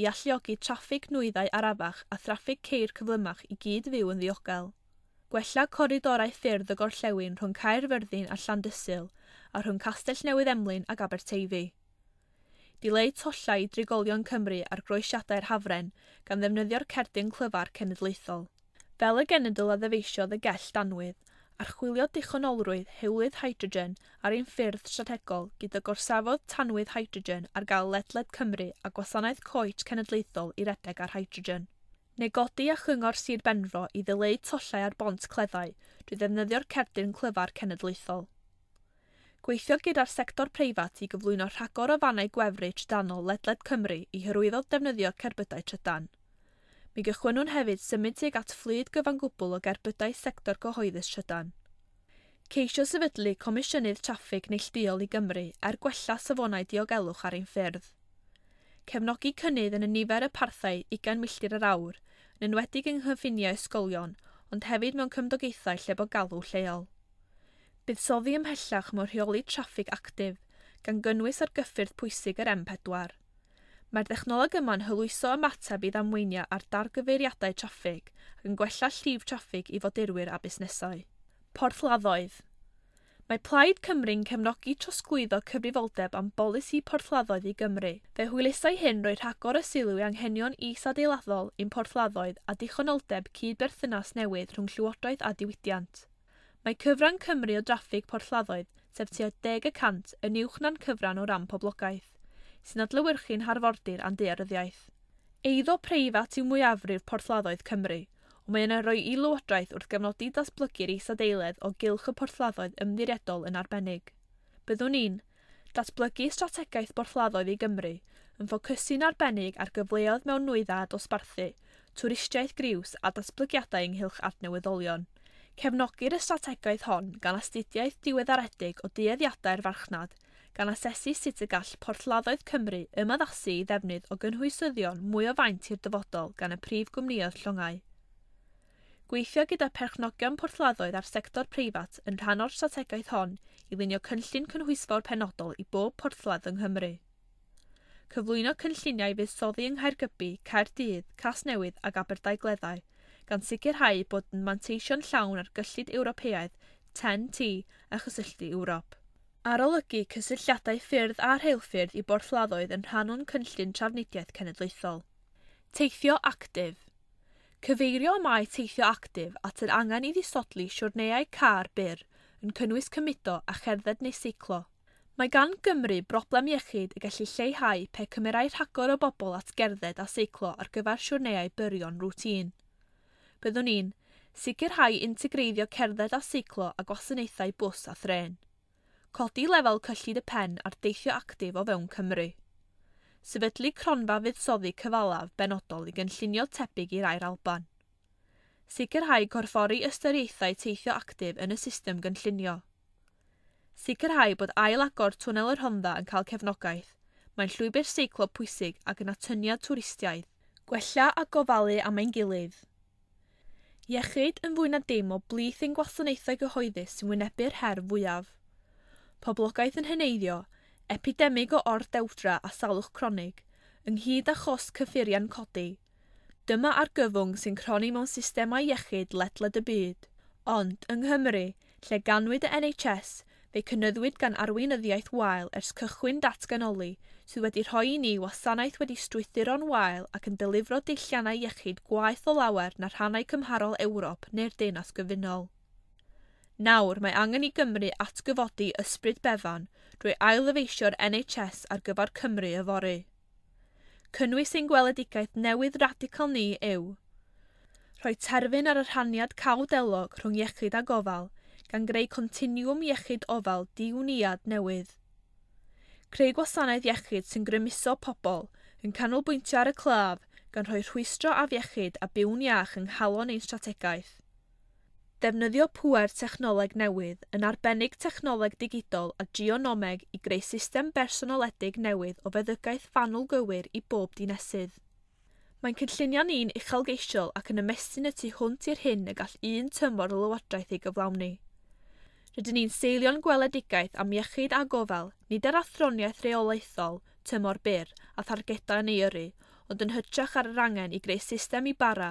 i alluogi traffig nwyddau arafach a thraffig ceir cyflymach i gyd fyw yn ddiogel. Gwella coridorau ffyrdd y gorllewin rhwng Caerfyrddin a Llandysul a rhwng Castell Newydd Emlyn ac Aberteifi. Dileu tollau i drigolion Cymru ar groesiadau'r Hafren gan ddefnyddio'r cerdyn clyfar cenedlaethol. Fel y genedl a ddyfeisiodd y gell danwydd, archwilio dichonolrwydd hewlydd hydrogen ar ein ffyrdd strategol gyda gorsafodd tanwydd hydrogen ar gael ledled Cymru a gwasanaeth coets cenedlaethol i redeg ar hydrogen. Negodi a chyngor Sir Benfro i ddileu tollau ar bont Cleddau drwy ddefnyddio'r cerdyn clyfar cenedlaethol. Gweithio gyda'r sector preifat i gyflwyno rhagor o fannau gwefru trydanol ledled Cymru i hyrwyddo defnyddio cerbydau trydan. Mi gychwynnwn hefyd symud tuag at fflyd gyfan gwbl o gerbydau sector cyhoeddus trydan. Ceisio sefydlu Comisiynydd Traffig neilltuol i Gymru er gwella safonau diogelwch ar ein ffyrdd. Cefnogi cynnydd yn y nifer y parthau 20 milltir yr awr, yn enwedig yng nghyffiniau ysgolion, ond hefyd mewn cymdogaethau lle bo galw lleol. Buddsoddi ymhellach mewn rheoli traffig actif, gan gynnwys ar gyffyrdd pwysig yr M4. Mae'r dechnoleg yma'n hwyluso ymateb i ddamweiniau ar dargyfeiriadau traffig ac yn gwella llif traffig i fodurwyr a busnesau. Porthladdoedd. Mae Plaid Cymru'n cefnogi trosglwyddo cyfrifoldeb am bolisi porthladdoedd i Gymru. Fe hwylusai hyn roi rhagor o sylw i anghenion is-adeiladdol ein porthladdoedd a dichonoldeb cydberthynas newydd rhwng llywodraeth a diwydiant. Mae cyfran Cymru o draffig porthladdoedd, sef tua 10%, yn uwch na'n cyfran o ran poblogaeth, sy'n adlewyrchu'n harfordir a'n daearyddiaeth. Eiddo preifat yw mwyafrif porthladdoedd Cymru, ond mae yna roi i lywodraeth wrth gefnogi datblygu'r isadeiledd o gylch y porthladdoedd ymddiriedol yn arbennig. Byddwn ni'n datblygu strategaeth borthladdoedd i Gymru, yn ffocysu'n arbennig ar gyfleoedd mewn nwyddau a dosbarthu, twristiaeth griws a datblygiadau ynghylch adnewyddolion. Cefnogir y strategaeth hon gan astudiaeth diweddaredig o dueddiadau'r farchnad, gan asesu sut y gall porthladdoedd Cymru ymaddasu i ddefnydd o gynhwysyddion mwy o faint i'r dyfodol gan y prif gwmnïoedd llongau. Gweithio gyda perchnogion porthladdoedd a'r sector preifat yn rhan o'r strategaeth hon i lunio cynllun cynhwysfawr penodol i bob porthladd yng Nghymru. Cyflwyno cynlluniau fuddsoddi yng Nghaergybi, Caerdydd, Casnewydd ac Aberdaugleddau, gan sicrhau bod yn manteisio'n llawn ar gyllid Ewropeaidd, TEN-T a chysylltu Ewrop. Arolygu cysylltiadau ffyrdd a rheilffyrdd i borthladdoedd yn rhan o'n cynllun trafnidiaeth cenedlaethol. Teithio actif. Cyfeirio mae teithio actif at yr angen i ddisodli siwrneiau car byr yn cynnwys cymudo a cherdded neu seiclo. Mae gan Gymru broblem iechyd y gallu lleihau pe cymerai rhagor o bobl at gerdded a seiclo ar gyfer siwrneiau byrion rwtîn. Byddwn ni'n sicrhau integreiddio cerdded a seiclo a gwasanaethau bws a thrên. Codi lefel cyllid y pen ar deithio actif o fewn Cymru. Sefydlu cronfa fuddsoddi cyfalaf benodol i gynllunio tebyg i rai'r Alban. Sicrhau corffori ystyriaethau teithio actif yn y system gynllunio. Sicrhau bod ail-agor twnnel y Rhondda yn cael cefnogaeth. Mae'n llwybr seiclo pwysig ac yn atyniad twristiaidd. Gwella a gofalu am ein gilydd. Iechyd yn fwy na dim o blith ein gwasanaethau gyhoeddus sy'n wynebu'r her fwyaf. Poblogaeth yn heneiddio, epidemig o ordewdra a salwch cronig, ynghyd â chost cyffuriau'n codi. Dyma argyfwng sy'n cronni mewn systemau iechyd ledled y byd. Ond, yng Nghymru, lle ganwyd y NHS, fe cynyddwyd gan arweinyddiaeth wael ers cychwyn datganoli sydd wedi rhoi i ni wasanaeth wedi strwythuro'n wael ac yn dylifro deilliannau iechyd gwaeth o lawer na rhannau cymharol Ewrop neu'r Deyrnas Gyfunol. Nawr mae angen i Gymru atgyfodi ysbryd Bevan drwy ail-ddyfeisio'r NHS ar gyfer Cymru yfory. Cynnwys ein gweledigaeth newydd radical ni yw rhoi terfyn ar y rhaniad cawdelog rhwng iechyd a gofal, gan greu continwwm iechyd ofal diwniad newydd. Creu gwasanaeth iechyd sy'n grymuso pobl, yn canolbwyntio ar y claf, gan rhoi rhwystro afiechyd a byw'n iach yng nghalon ein strategaeth. Defnyddio pŵer technoleg newydd, yn arbennig technoleg digidol a geonomeg i greu system bersonoledig newydd o feddygaeth fanwl gywir i bob dinesydd. Mae'n cynllunio ni'n uchelgeisiol ac yn ymestyn y tu hwnt i'r hyn y gall un tymor o lywodraeth ei gyflawni. Rydyn ni'n seilio'n gweledigaeth am iechyd a gofal, nid ar athroniaeth reolaethol, tymor byr a thargedau yn ei yrru, ond yn hytrach ar yr angen i greu system i bara,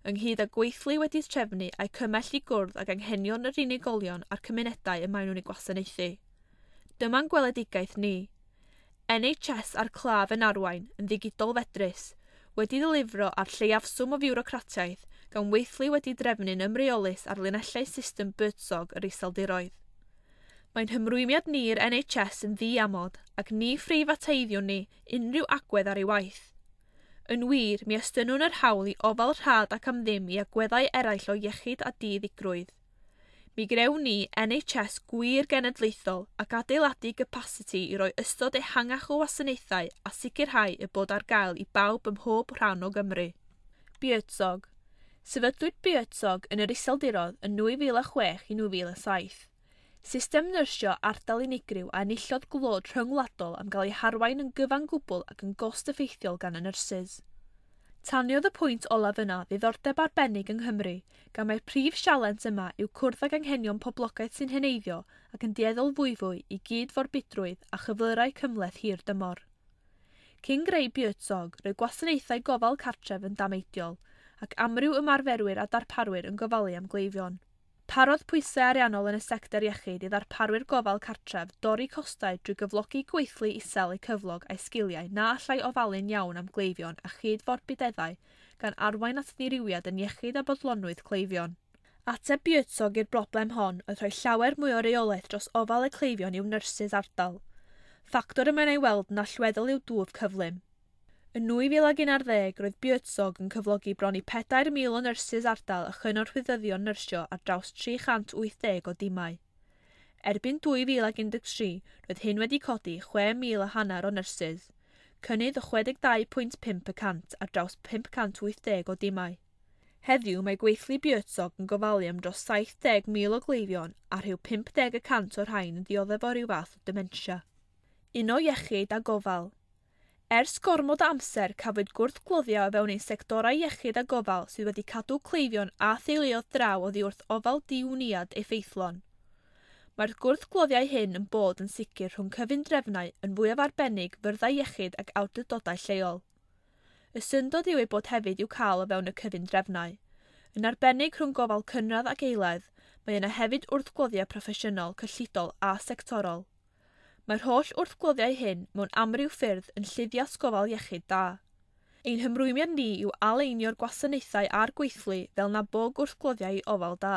ynghyd â gweithlu wedi trefnu a'i cymell i gwrdd ag anghenion yr unigolion a'r cymunedau y maen nhw'n eu gwasanaethu. Dyma'n gweledigaeth ni. NHS a'r claf yn arwain, yn ddigidol fedrus, wedi ddilifro ar lleiafswm o fiwrocratiaeth gan weithlu wedi drefnu'n ymreolus ar linellau system Buurtzorg yr Iseldiroedd. Mae'n hymrwymiad ni i'r NHS yn ddiamod ac ni phreifateiddiwn ni unrhyw agwedd ar ei waith. Yn wir, mi estynnwn yr hawl i ofal rhad ac am ddim i agweddau eraill o iechyd a diddigrwydd. Mi grewn ni NHS gwir genedlaethol ac adeiladu capacity i roi ystod ehangach o wasanaethau a sicrhau y bod ar gael i bawb ym mhob rhan o Gymru. Buurtzorg. Sefydlwyd Buurtzorg yn yr Iseldiroedd yn 2006 i 2007. System nyrsio ardal unigryw a enillodd glod rhyngwladol am gael ei harwain yn gyfan gwbl ac yn gost-effeithiol gan y nyrsys. Taniodd y pwynt olaf yna ddiddordeb arbennig yng Nghymru, gan mai'r prif sialens yma yw cwrdd ag anghenion poblogaeth sy'n heneiddio ac yn dueddol fwyfwy i gyd-forbidrwydd a chyflyrau cymhleth hir dymor. Cyn greu Buurtzorg, roedd gwasanaethau gofal cartref yn dameidiol, ac amryw ymarferwyr a darparwyr yn gofalu am gleifion. Parodd pwysau ariannol yn y sector iechyd i ddarparwyr gofal cartref dorri costau drwy gyflogi gweithlu isel eu cyflog a'i sgiliau na allai ofalu'n iawn am gleifion a chyd-forbideddau gan arwain at ddirywiad yn iechyd a bodlonrwydd cleifion. Ateb Buurtzorg i'r broblem hon oedd rhoi llawer mwy o reolaeth dros ofal y cleifion i'w nyrsys ardal. Ffactor y mae'n ei weld yn allweddol i'w dwf cyflym. Yn 2011, roedd Buurtzorg yn cyflogi bron i 4,000 o nyrsys ardal a chynorthwyddyddion nyrsio ar draws 380 o dimau. Erbyn 2013, roedd hyn wedi codi 6,500 o nyrsys, cynnydd o 62.5% ar draws 580 o dimau. Heddiw mae gweithlu Buurtzorg yn gofalu am dros 70,000 o gleifion a rhyw 50% o'r rhain yn dioddef o ryw fath o dementia. Uno iechyd a gofal. Ers gormod o amser, cafwyd gwrthgloddio o fewn ein sectorau iechyd a gofal sydd wedi cadw cleifion a theuluoedd draw oddi wrth ofal diwniad effeithlon. Mae'r gwrthgloddiau hyn yn bod yn sicr rhwng cyfundrefnau yn fwyaf arbennig fyrddau iechyd ac awdurdodau lleol. Y syndod yw ei bod hefyd i'w cael o fewn y cyfundrefnau. Yn arbennig rhwng gofal cynradd ac eilaidd, mae yna hefyd wrthgloddiau proffesiynol, cyllidol a sectorol. Mae'r holl wrthgloddiau hyn mewn amryw ffyrdd yn lluddias gofal iechyd da. Ein hymrwymiad ni yw aleinio'r gwasanaethau a'r gweithlu fel na bo gwrthgloddiau i ofal da.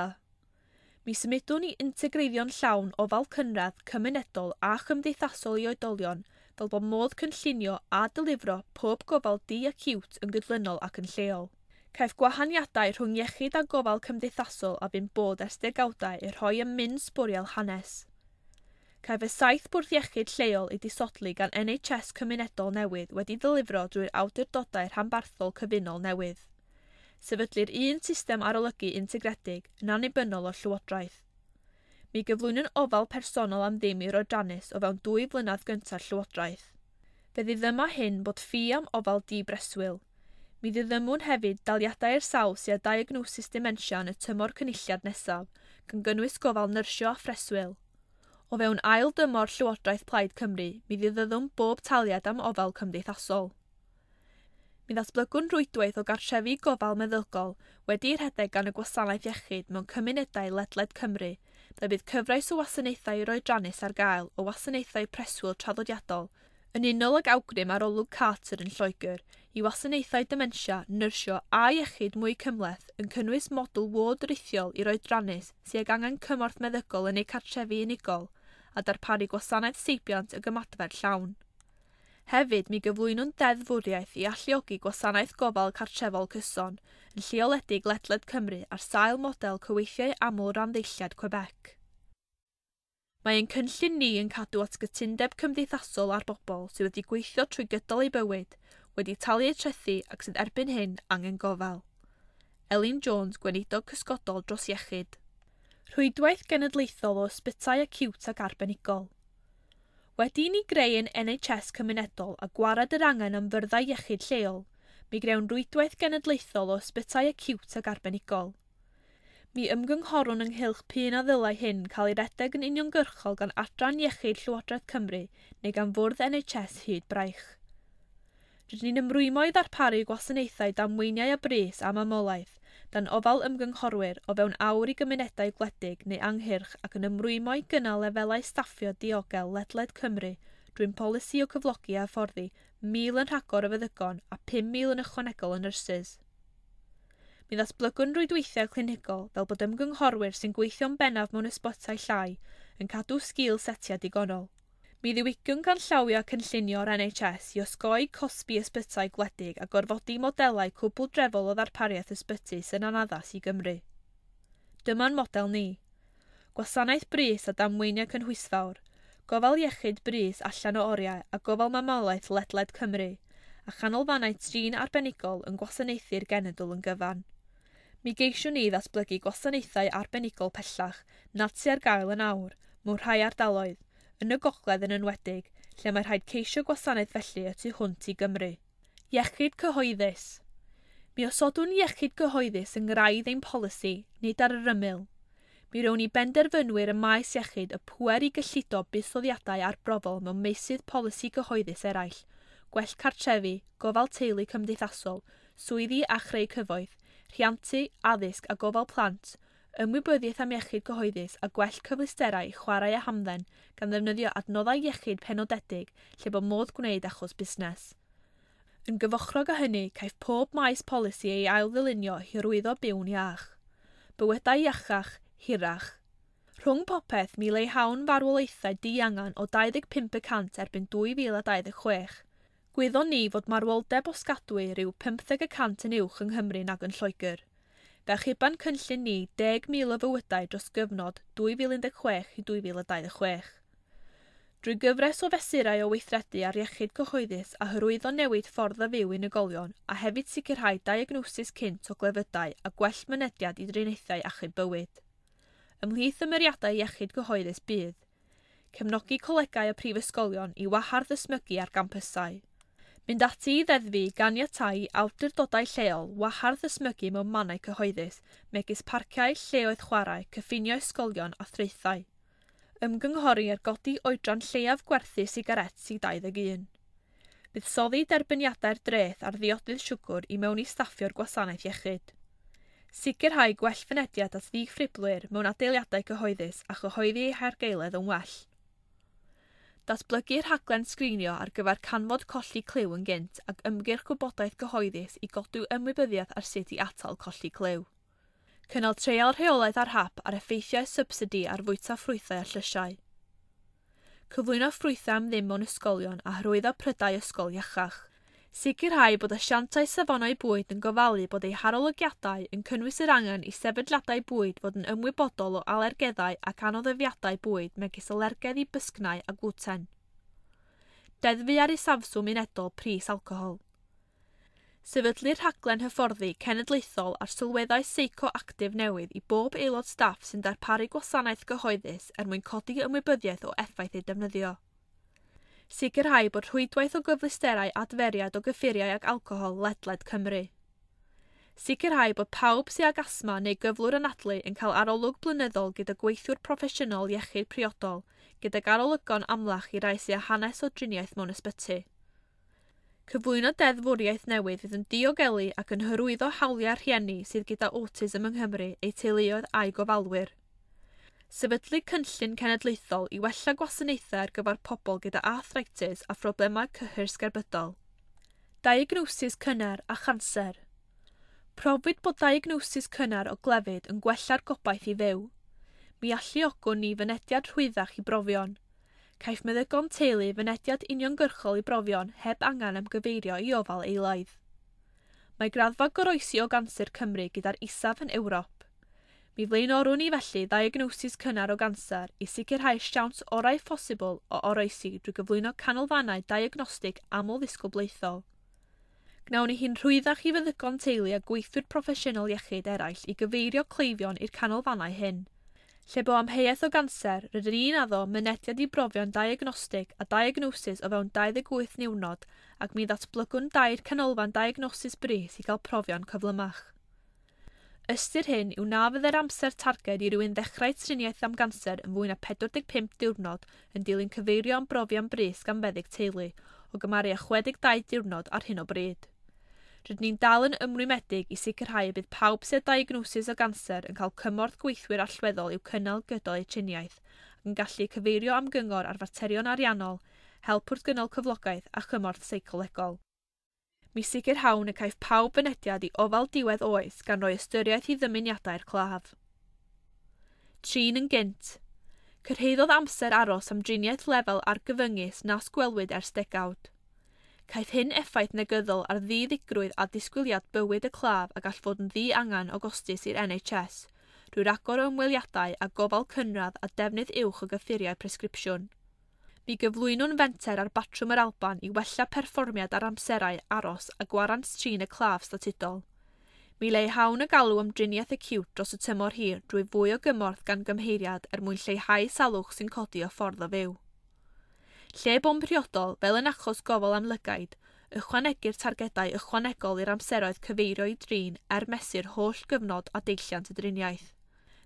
Mi symudwn i integreiddio'n llawn ofal cynradd, cymunedol a chymdeithasol i oedolion fel bod modd cynllunio a dylifro pob gofal di-acute yn gydlynol ac yn lleol. Caiff gwahaniadau rhwng iechyd a gofal cymdeithasol a fu'n bod ers degawdau eu rhoi ym min sbwriel hanes. Caiff y 7 bwrdd iechyd lleol ei disodli gan NHS cymunedol newydd wedi ddilifro drwy'r awdurdodau rhanbarthol cyfunol newydd. Sefydlir un system arolygu integredig yn annibynnol o'r llywodraeth. Mi gyflwynwn ofal personol am ddim i'r oedrannus o fewn 2 flynedd gyntaf llywodraeth. Fe ddiddyma hyn bod ffi am ofal di-breswyl. Mi ddiddymwn hefyd daliadau i'r sawl sydd â diagnosis dementia yn y tymor cynulliad nesaf, gan gynnwys gofal nyrsio a phreswyl. O fewn ail dymor Llywodraeth Plaid Cymru, mi ddiddyddwn bob taliad am ofal cymdeithasol. Mi ddatblygwn rwydwaith o gartrefi gofal meddygol wedi'i rhedeg gan y gwasanaeth iechyd mewn cymunedau ledled Cymru, ble bydd cyfres o wasanaethau i'r oedrannus ar gael o wasanaethau preswyl traddodiadol, yn unol ag awgrym arolwg Carter yn Lloegr, i wasanaethau dementia, nyrsio a iechyd mwy cymhleth yn cynnwys model ward rithiol i'r oedrannus sydd ag angen cymorth meddygol yn eu cartrefi unigol, a darparu gwasanaeth seibiant y gymadfer llawn. Hefyd, mi gyflwynwn deddfwriaeth i alluogi gwasanaeth gofal cartrefol cyson yn lleoledig ledled Cymru ar sail model cyweithiau aml randdeiliad Quebec. Mae ein cynllun ni yn cadw at gytundeb cymdeithasol ar bobl sydd wedi gweithio trwy gydol eu bywyd, wedi talu eu trethi ac sydd erbyn hyn angen gofal. Elin Jones, Gweinidog Cysgodol dros Iechyd. Rhwydwaith genedlaethol o ysbytai acíwt ac arbenigol. Wedi i ni greu ein NHS cymunedol a gwared yr angen am fyrddau iechyd lleol, mi grewn rwydwaith genedlaethol o ysbytai acíwt ac arbenigol. Mi ymgynghorwn ynghylch p'un a ddylai hyn cael ei redeg yn uniongyrchol gan Adran Iechyd Llywodraeth Cymru neu gan Fwrdd NHS hyd braich. Rydyn ni'n ymrwymo i ddarparu gwasanaethau damweiniau a brys a mamolaeth dan ofal ymgynghorwyr o fewn awr i gymunedau gwledig neu anghyrch ac yn ymrwymo i gynnal lefelau staffio diogel ledled Cymru drwy'n polisi o cyflogi a hyfforddi 1,000 yn rhagor o feddygon a 5,000 yn ychwanegol o nyrsys. Mi ddatblygwn rwydweithiau clinigol fel bod ymgynghorwyr sy'n gweithio'n bennaf mewn ysbytai llai yn cadw sgil setiau digonol. Mi ddiwygiwn ganllawiau cynllunio'r NHS i osgoi cosbi ysbytai gwledig a gorfodi modelau cwbl drefol o ddarpariaeth ysbyty sy'n anaddas i Gymru. Dyma'n model ni. Gwasanaeth brys a damweiniau cynhwysfawr, gofal iechyd brys allan o oriau a gofal mamolaeth ledled Cymru, a chanolfannau trin arbenigol yn gwasanaethu'r genedl yn gyfan. Mi geisiwn ni ddatblygu gwasanaethau arbenigol pellach nad sy ar gael yn awr, mewn rhai ardaloedd, yn y gogledd yn enwedig, lle mae rhaid ceisio gwasanaeth felly y tu hwnt i Gymru. Iechyd cyhoeddus. Mi osodwn iechyd cyhoeddus yng ngraidd ein polisi, nid ar yr ymyl. Mi rown i benderfynwyr y maes iechyd y pŵer i gyllido buddsoddiadau arbrofol mewn meysydd polisi cyhoeddus eraill, gwell cartrefi, gofal teulu cymdeithasol, swyddi a chreu cyfoeth, rhiantu, addysg a gofal plant, ymwybyddiaeth am iechyd cyhoeddus a gwell cyfleusterau i chwarae a hamdden gan ddefnyddio adnoddau iechyd penodedig lle bod modd gwneud achos busnes. Yn gyfochrog â hynny, caiff pob maes polisi ei ail-ddylunio i hyrwyddo byw'n iach. Bywydau iachach, hirach. Rhwng popeth, mi leihawn farwolaethau diangan o 25% erbyn 2026. Gwyddon ni fod marwoldeb osgadwy rhyw 15% yn uwch yng Nghymru nag yn Lloegr. Fe achuban cynllun ni 10,000 o fywydau dros gyfnod 2016 i 2026. Drwy gyfres o fesurau o weithredu ar iechyd cyhoeddus a hyrwyddo newid ffordd o fyw unigolion a hefyd sicrhau diagnosis cynt o glefydau a gwell mynediad i driniaethau achub bywyd. Ymhlith ymyriadau iechyd cyhoeddus bydd cefnogi colegau a prifysgolion i wahardd ysmygu ar gampysau. Mynd ati i ddeddfu ganiatáu awdurdodau lleol wahardd ysmygu mewn mannau cyhoeddus, megis parciau, lleoedd chwarae, cyffiniau ysgolion a thraethau. Ymgynghori ar godi oedran lleiaf gwerthu sigarets i 21. Buddsoddi derbyniadau'r dreth ar ddiodydd siwgr i mewn i staffio'r gwasanaeth iechyd. Sicrhau gwell fynediad at ddiffriblwyr mewn adeiladau cyhoeddus a chyhoeddi eu hargaeledd yn well. Datblygu rhaglen sgrinio ar gyfer canfod colli clyw yn gynt ac ymgyrch gwybodaeth gyhoeddus i godi ymwybyddiaeth ar sut i atal colli clyw. Cynnal treial rheolaidd ar hap ar effeithiau subsidi ar fwyta ffrwythau a llysiau. Cyflwyno ffrwythau am ddim mewn ysgolion a hyrwyddo prydau ysgol iachach. Sicrhau bod asiantau safonau bwyd yn gofalu bod eu harolygiadau yn cynnwys yr angen i sefydliadau bwyd fod yn ymwybodol o alergeddau ac anoddefiadau bwyd megis alergedd i bysgnau a glwten. Deddfu ar isafswm unedol pris alcohol. Sefydlu rhaglen hyfforddi cenedlaethol ar sylweddau seicoactif newydd i bob aelod staff sy'n darparu gwasanaeth gyhoeddus er mwyn codi ymwybyddiaeth o effaith eu defnyddio. Sicrhau bod rhwydwaith o gyfleusterau adferiad o gyffuriau ac alcohol ledled Cymru. Sicrhau bod pawb sydd ag asthma neu gyflwr anadlu yn cael arolwg blynyddol gyda gweithiwr proffesiynol iechyd priodol, gydag arolygon amlach i rai sydd â hanes o driniaeth mewn ysbyty. Cyflwyno deddfwriaeth newydd fydd yn diogelu ac yn hyrwyddo hawliau rhieni sydd gyda autism yng Nghymru, eu teuluoedd a'u gofalwyr. Sefydlu cynllun cenedlaethol i wella gwasanaethau ar gyfer pobl gyda arthritis a phroblemau cyhyr sgerbydol. Diagnosis cynnar a chanser. Profwyd bod diagnosis cynnar o glefyd yn gwella'r gobaith i fyw. Mi alluogwn ni fynediad rhwyddach i brofion. Caiff meddygon teulu fynediad uniongyrchol i brofion heb angen am gyfeirio i ofal eilaidd. Mae graddfa goroesi o ganser Cymru gyda'r isaf yn Ewrop. Mi flaenorwn ni felly ddiagnosis cynnar o ganser i sicrhau siawns orau phosibl o oroesi drwy gyflwyno canolfannau diagnostig amlddisgyblaethol. Gnawn ni hi'n rhwyddach i feddygon teulu a gweithwyr proffesiynol iechyd eraill i gyfeirio cleifion i'r canolfannau hyn. Lle bo amheuaeth o ganser, rydyn ni'n addo mynediad i brofion diagnostig a diagnosis o fewn 28 niwrnod ac mi ddatblygwn dair canolfan diagnosis brys i gael profion cyflymach. Ystyr hyn yw na fydde'r amser targed i rywun ddechrau triniaeth am ganser yn fwy na 45 diwrnod yn dilyn cyfeirio am brofion brys gan feddyg teulu, o gymharu â 62 diwrnod ar hyn o bryd. Rydyn ni'n dal yn ymrwymedig i sicrhau y bydd pawb sydd â diagnosis o ganser yn cael cymorth gweithwyr allweddol i'w cynnal gydol eu triniaeth ac yn gallu cyfeirio am gyngor ar faterion ariannol, help wrth gynnal cyflogaeth a chymorth seicolegol. Mi sicrhawn y caiff pawb fynediad i ofal diwedd oes gan roi ystyriaeth i ddymuniadau'r claf. Trin yn gynt. Cyrhaeddodd amser aros am driniaeth lefel argyfyngus nas gwelwyd ers degawd. Caiff hyn effaith negyddol ar ddiddigrwydd a disgwyliad bywyd y claf a gall fod yn ddiangen o gostus i'r NHS, drwy ragor o ymweliadau a gofal cynradd a defnydd uwch o gyffuriau presgripsiwn. Mi gyflwynwn fenter ar batrwm yr Alban i wella perfformiad ar amserau aros a gwarant trin y claf statudol. Mi leihawn y galw am driniaeth acute dros y tymor hir drwy fwy o gymorth gan gymheiriad er mwyn lleihau salwch sy'n codi o ffordd o fyw. Lle bo'n priodol, fel yn achos gofal am lygaid, ychwanegir targedau ychwanegol i'r amseroedd cyfeirio i drin er mesur holl gyfnod a deilliant y driniaeth.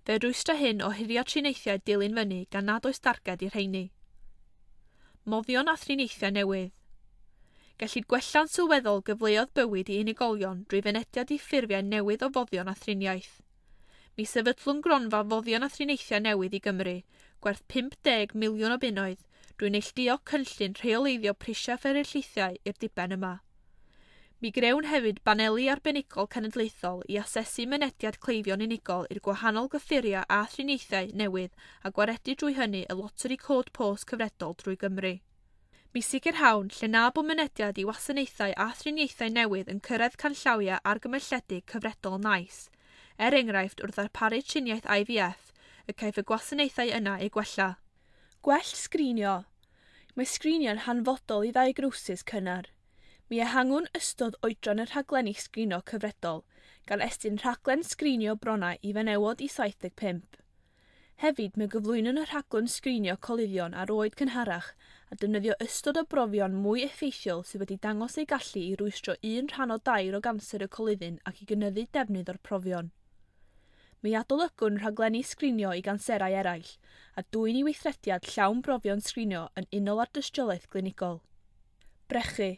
Fe rwystra hyn o hurio triniaethau dilyn fyny gan nad oes darged i'r rheini. Moddion a thriniaethau newydd. Gellid gwella'n sylweddol gyfleoedd bywyd i unigolion drwy fynediad i ffurfiau newydd o foddion a thriniaeth. Mi sefydlwn gronfa foddion a thriniaethau newydd i Gymru, gwerth 50 miliwn o bunnoedd, drwy neilltuo cynllun rheoleiddio prisiau fferylliaethau i'r diben yma. Mi grewn hefyd baneli arbenigol cenedlaethol i asesu mynediad cleifion unigol i'r gwahanol gyffuriau a thriniaethau newydd a gwaredu drwy hynny y loteri cod post cyfredol drwy Gymru. Mi sicrhawn lle na bo mynediad i wasanaethau a thriniaethau newydd yn cyrraedd canllawiau argymelledig cyfredol NICE, er enghraifft wrth ddarparu triniaeth IVF, y caiff y gwasanaethau yna eu gwella. Gwell sgrinio. Mae sgrinio'n hanfodol i ddiagnosis cynnar. Mi ehangwn ystod oedran y rhaglenni sgrinio cyfredol, gan estyn rhaglen sgrinio bronnau i fenywod i 75. Hefyd, mae gyflwynwn y rhaglen sgrinio coluddion ar oed cynharach a defnyddio ystod o brofion mwy effeithiol sydd wedi dangos eu gallu i rwystro 1 rhan o 3 o ganser y coluddyn ac i gynyddu defnydd o'r profion. Mi adolygwn rhaglenni sgrinio i ganserau eraill a dwyn i weithrediad llawn brofion sgrinio yn unol â'r dystiolaeth glinigol. Brechu.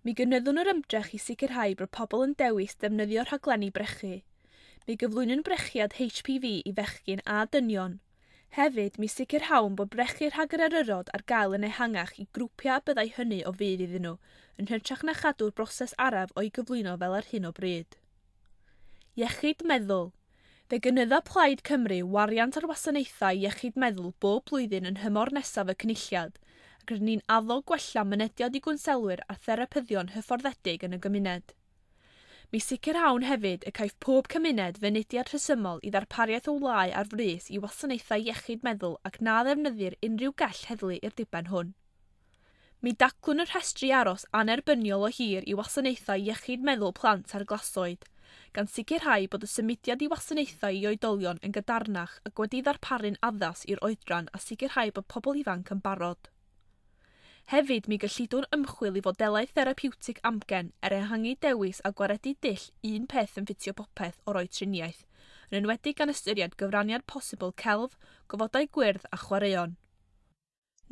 Mi gynyddwn yr ymdrech i sicrhau bod pobl yn dewis defnyddio rhaglenni brechu. Mi gyflwynwn brechiad HPV i fechgyn a dynion. Hefyd, mi sicrhawn bod brechu rhag yr eryrod ar gael yn ehangach i grwpiau a byddai hynny o fudd iddyn nhw, yn hytrach na chadw'r broses araf o'i gyflwyno fel ar hyn o bryd. Iechyd meddwl. Fe gynydda Plaid Cymru wariant ar wasanaethau iechyd meddwl bob blwyddyn yn nhymor nesaf y cynulliad, ac rydyn ni'n addo gwella mynediad i gwnselwyr a therapyddion hyfforddedig yn y gymuned. Mi sicrhawn hefyd y caiff pob cymuned fynediad rhesymol i ddarpariaeth o wlâu ar frys i wasanaethau iechyd meddwl ac na ddefnyddir unrhyw gell heddlu i'r diben hwn. Mi daclwn y rhestri aros anerbyniol o hir i wasanaethau iechyd meddwl plant ar glasoed, gan sicrhau bod y symudiad i wasanaethau i oedolion yn gadarnach ac wedi ddarparu'n addas i'r oedran a sicrhau bod pobl ifanc yn barod. Hefyd, mi gyllidwn ymchwil i fodelau therapiwtig amgen er ehangu dewis a gwaredu dull un peth yn ffitio popeth o roi triniaeth, yn enwedig gan ystyried gyfraniad posibl celf, gofodau gwyrdd a chwaraeon.